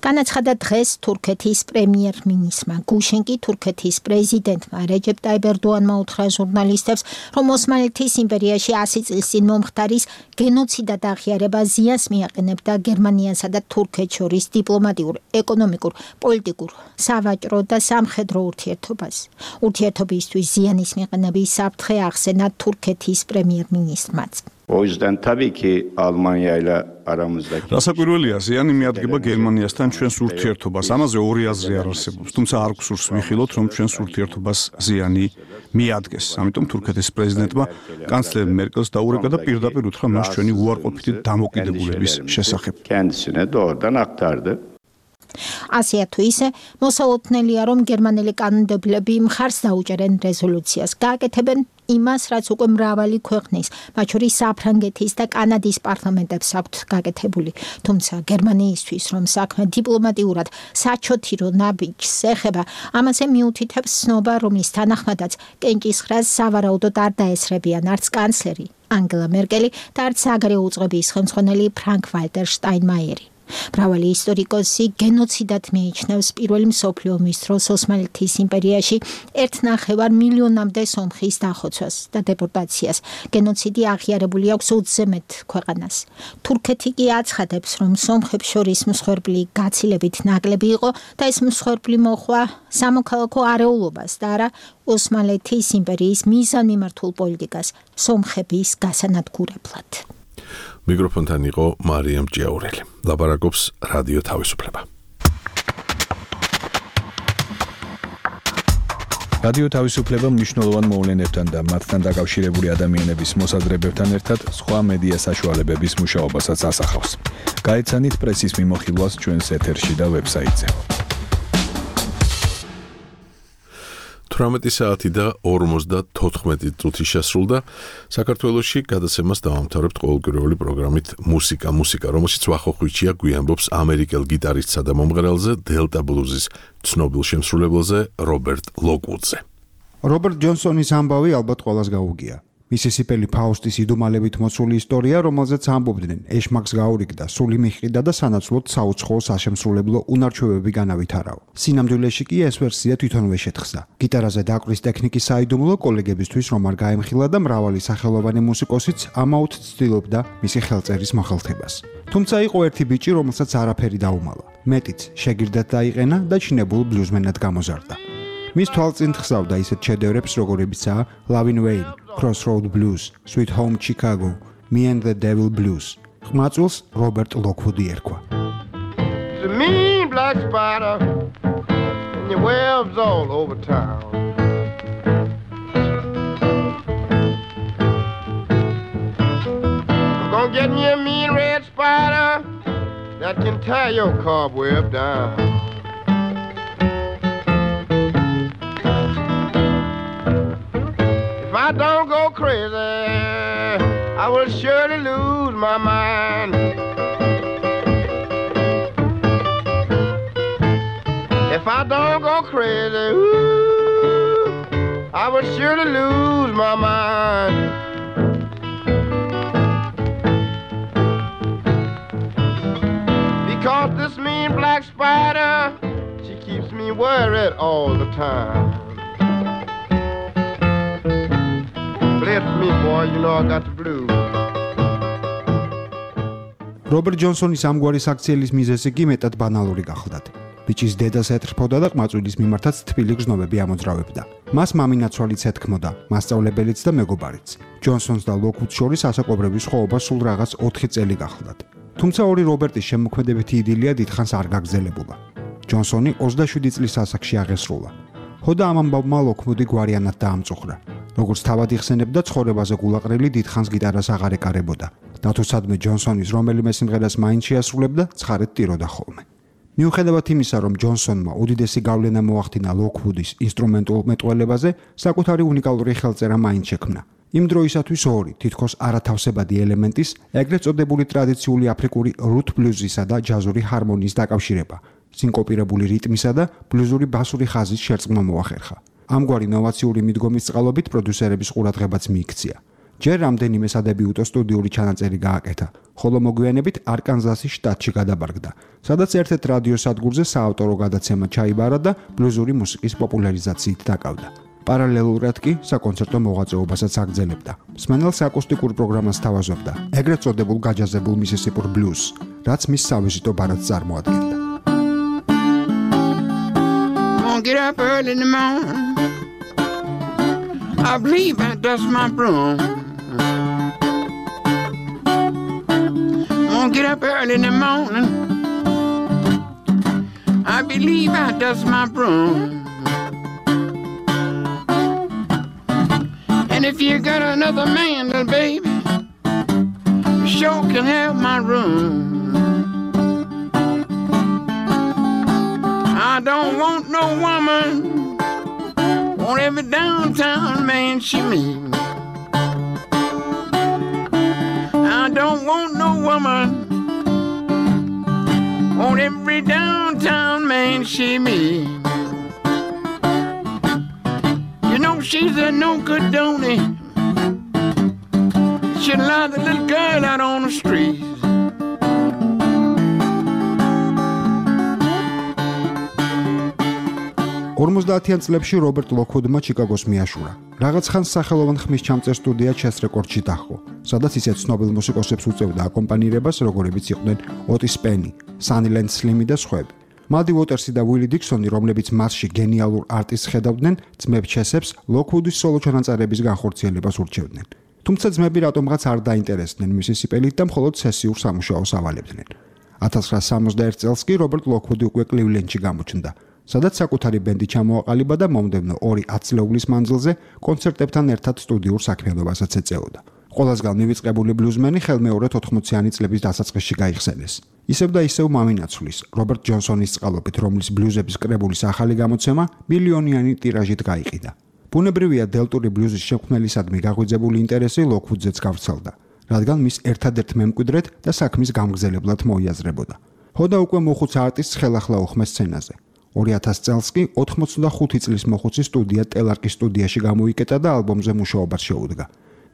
განაცხადა დღეს თურქეთის პრემიერ-მინისტრმა. გუშინკი თურქეთის პრეზიდენტმა რეჯეპ ტაიპ ერდოანმა უთხრა ჟურნალისტებს, რომ ოსმალეთის იმპერიაში ასი წლის წინ მომხდარის გენოციდად აღიარება ზიანს მიაყენებდა გერმანიასა და თურქეთს შორის დიპლომატიურ, ეკონომიკურ, პოლიტიკურ, სავაჭრო და სამხედრო ურთიერთობას. ურთიერთობისთვის ზიანის მიყენების საფრთხე ახსენა თურქეთის პრემიერ-მინისტრმაც. O yüzden tabii ki Almanya ile aramızdaki რასაკვირველია, ზიანი მიადგება გერმანიასთან ჩვენს ურთიერთობას. ამაზე ორი აზრი არ არსებობს, თუმცა არ გვსურს ვიხილოთ, რომ ჩვენს ურთიერთობას ზიანი მიადგეს. ამიტომ თურქეთის პრეზიდენტმა კანცლერ მერკელს დაურეკა და პირდაპირ უთხრა მას ჩვენი უარყოფითი დამოკიდებულების შესახებ. kendisine doğrudan aktardı. ასეა თუ ისე, მოსალოდნელია, რომ გერმანელი კანონმდებლები მხარს დაუჭერენ რეზოლუციას. გააკეთებენ იმას, რაც უკვე მრავალი ქვეყნის, მათ შორის საფრანგეთის და კანადის პარლამენტებს აქვთ გაკეთებული. თუმცა გერმანიისთვის, რომ საქმე დიპლომატიურად საჩოთირო ნაბიჯს ეხება, ამაზე მიუთითებს ცნობა, რომლის თანახმადაც კენჭისყრას სავარაუდოდ არ დაესწრებიან არც კანცლერი ანგელა მერკელი და არც საგარეო უწყების ხელმძღვანელი ფრანკ ვალტერ შტაინმაიერი. მრავალი ისტორიკოსი გენოციდად მიიჩნევს პირველი მსოფლიო ომის დროს ოსმალეთის იმპერიაში ერთნახევარ მილიონამდე სომხის დახოცვას და დეპორტაციას. გენოციდი აღიარებული აქვს ოცზე მეტ ქვეყანას. თურქეთი კი აცხადებს, რომ სომხებს შორის მსხვერპლი გაცილებით ნაკლები იყო და ეს მსხვერპლი მოჰყვა სამოქალაქო არეულობას და არა ოსმალეთის იმპერიის მიზანმიმართულ პოლიტიკას სომხების გასანადგურებლად. მიკროფონთან იყო მარიამ ჯიაურელი. ლაპარაკობს რადიო თავისუფლება. რადიო თავისუფლება მნიშვნელოვან მოვლენებთან და მათთან დაკავშირებული ადამიანების მოსაზრებებთან ერთად სხვა მედია საშუალებების მუშაობასაც ასახავს. გაეცანით პრესის მიმოხილვას ჩვენს ეთერში და ვებსაიტზე. თვრამეტი საათი და ორმოცდათოთხმეტი წუთი შესრულდა. საქართველოში გადაცემას დავამთავრებთ ყოველკვირეული პროგრამით მუსიკა მუსიკა, რომელშიც ვახოხვიჩია გვიანბობს ამერიკელ გიტარისტსა და მომღერალზე, დელტა ბლუზის ცნობილ შემსრულებელზე, რობერტ ლოკვუდზე. რობერტ ჯონსონის ამბავი ალბათ ყველას გაუგია. მისისიპელი ფაუსტის იდუმალებით მოცული ისტორია, რომელზეც ამბობდნენ, ეშმაკს გაურიგდა, სული მიჰყიდა და სანაცვლოდ საუცხოო საშემსრულებლო უნარჩვევები განავითარაო. სინამდვილეში კი ეს ვერსია თვითონვე შეთხსა. გიტარაზე დაკვრის ტექნიკის საიდუმლო კოლეგებისთვის რომ არ გაემხილა და მრავალი სახელოვანი მუსიკოსიც ამაოდ ცდილობდა მისი ხელწერის მოხელთებას. თუმცა იყო ერთი ბიჭი, რომელსაც არაფერი დაუმალა. მეტიც შეგირდად დაიყენა და ჩინებულ ბლუზმენად გამოზარდა. მის თვალწინ ხსავდა ისეთ შედევრებს, როგორებიცაა Lavin Wayne, Crossroad Blues, Sweet Home Chicago, Me and the Devil Blues. ხმაწვილს რობერტ ლოკვუდი ერქვა. The mean black spider and your webs all over town. I'm gonna get me a mean red spider that can tie your cobweb down. If I don't go crazy, I will surely lose my mind. If I don't go crazy, ooh, I will surely lose my mind. Because this mean black spider, she keeps me worried all the time. Bless me, boy, you know I got the blues. რობერტ ჯონსონის ამგვარი საქციელის მიზეზი კი მეტად ბანალური გახლდათ. ბიჭის დედას ეთრფოდა და ყმაწვილის მიმართაც თბილი გრძნობები ამოძრავებდა. მას მამინაცვალიც ეთქმოდა, მასწავლებელიც და მეგობარიც. ჯონსონს და ლოკვუდს შორის ასაკობრივი სხვაობა სულ რაღაც ოთხი წელი გახლდათ. თუმცა ორი რობერტის შემოქმედებითი იდილია დიდხანს არ გაგრძელებულა. ჯონსონი ოცდაშვიდი წლის ასაკში აღესრულა. ხოდა ამ ამბავმა ლოკვუდი გვარიანად დაამწუხრა. როგორც თავად იხსენებდა, ცხოვრებაზე გულაყრილი დიდხანს გიტარას აღარ ეკარებოდა. და თუ სადმე ჯონსონის რომელიმე სიმღერას მაინც შეასრულებდა, ცხარეთ ტიროდა ხოლმე. მიუხედავად იმისა, რომ ჯონსონმა უდიდესი გავლენა მოახდინა ლოკვუდის ინსტრუმენტულ მეტყველებაზე, საკუთარი უნიკალური ხელწერა მაინც შექმნა. იმ დროისათვის ორი, თითქოს არათავსებადი ელემენტის, ეგრეთ წოდებული ტრადიციული აფრიკური რութ ბლუზისა და ჯაზური ჰარმონიის დაკავშირება, სინკოპირებული რიტმისა და ბლუზური ბასური ხაზის შერწყმა მოახერხა. ამგვარი ინოვაციური მიდგომის წყალობით პროდიუსერების ყურადღებაც მიიქცია. ჯერ რამდენიმე სადებიუტო სტუდიური ჩანაწერი გააკეთა, ხოლო მოგვიანებით არკანზასის შტატში გადაბარგდა, სადაც ერთ-ერთ რადიო სადგურზე საავტორო გადაცემა ჩაიბარა და ბლუზური მუსიკის პოპულარიზაციით დაკავდა. პარალელურად კი საკონცერტო მოღვაწეობასაც აგრძელებდა. მსმენელს აკუსტიკურ პროგრამას თავაზობდა, ეგრეთ წოდებულ გაჯაზებულ მისისიპურ ბლუზს, რაც მის სავიზიტო ბარათს წარმოადგენდა. Get up early in the morning, I believe I dust my broom. Won't get up early in the morning, I believe I dust my broom. And if you got another man, little baby, you sure can have my room. I don't want no woman, want every downtown man she meet. I don't want no woman, want every downtown man she meet. You know she's a no good donny, she'll lie the little girl out on the street. ორმოცდაათიან წლებში რობერტ ლოკვუდმა ჩიკაგოს მიაშურა. რაღაც ხანს სახელოვან ხმის ჩამწერ სტუდია ჩეს რეკორდში დაჰყო, სადაც ისეთ ცნობილ მუსიკოსებს უწევდა აკომპანირებას, როგორებიც იყვნენ ოტის პენი, სანილენდ სლიმი და სხვები. მალდი უოტერსი და უილი დიქსონი, რომლებიც მასში გენიალურ არტისტს ხედავდნენ, ძმებ ჩესებს ლოკვუდის სოლო ჩანაწერების განხორციელებას ურჩევდნენ. თუმცა ძმები რატომღაც არ დაინტერესდნენ მისისიპელით და მხოლოდ სესიურ სამუშაოს ავალებდნენ. ათას ცხრაასი სამოცდაერთი წელს კი რობერტ ლოკვუდი უკვე კლივლენდში გამოჩნდა. სადაც საკუთარი ბენდი ჩამოაყალიბა და მომდევნო ორი ათწლეულის მანძილზე კონცერტებთან ერთად სტუდიურ საქმიანობასაც ეწეოდა. ყველასგან მივიწყებული ბლუზმენი ხელმეორედ ოთხმოციანი წლების დასაწყისში გაიხსენეს. ისევ და ისევ მამინაცვლის, რობერტ ჯონსონის წყალობით, რომლის ბლუზების კრებულის ახალი გამოცემა მილიონიანი ტირაჟით გაიყიდა. ბუნებრივია დელტური ბლუზის შემქმნელისადმი გაღვიძებული ინტერესი ლოკვუდზეც გავრცელდა, რადგან მის ერთადერთ მემკვიდრედ და საქმის გამგზელებლად მოიაზრებოდა. ჰოდა უკვე მოხუც არტისტს ხელახლა უხმეს სცენაზე. ორი ათასი წელს კი ოთხმოცდახუთი წლის მოხუცი სტუდია ტელარკის სტუდიაში გამოიკეტა და ალბომზე მუშაობას შეუდგა.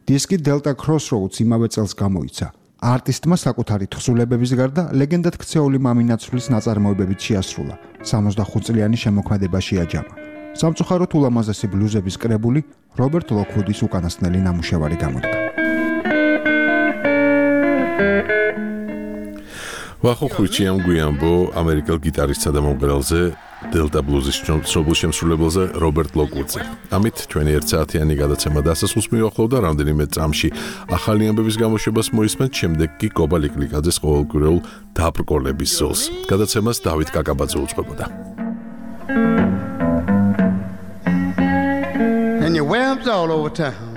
დისკი Delta Crossroads იმავე წელს გამოიცა. არტისტმა საკუთარი თხზულებების გარდა ლეგენდად ქცეული მამინაცვლის ნაწარმოებებით შეასრულა. სამოცდახუთ წლიანი შემოქმედება შეაჯამა. სამწუხაროდ ულამაზესი ბლუზების კრებული რობერტ ლოკვუდის უკანასკნელი ნამუშევარი გამოდგა. ვახო ხვიჩიამ გვიანბო ამერიკელ გიტარისტსა და მომღერალზე Delta Blues-ის ცნობილ შემსრულებელზე რობერტ ლოკვუდზე. ამით ჩვენი ერთ საათიანი გადაცემა დასასრულს მივახლოვ და რამდენიმე წამში ახალი ამბების გამოშვებას მოისმენთ, შემდეგ კი კობა ლიკლიკაძეს ყოველკვირეულ დაბრკოლების ზოლს. გადაცემას დავით კაკაბაძე უძღვებოდა. And your webs all over town.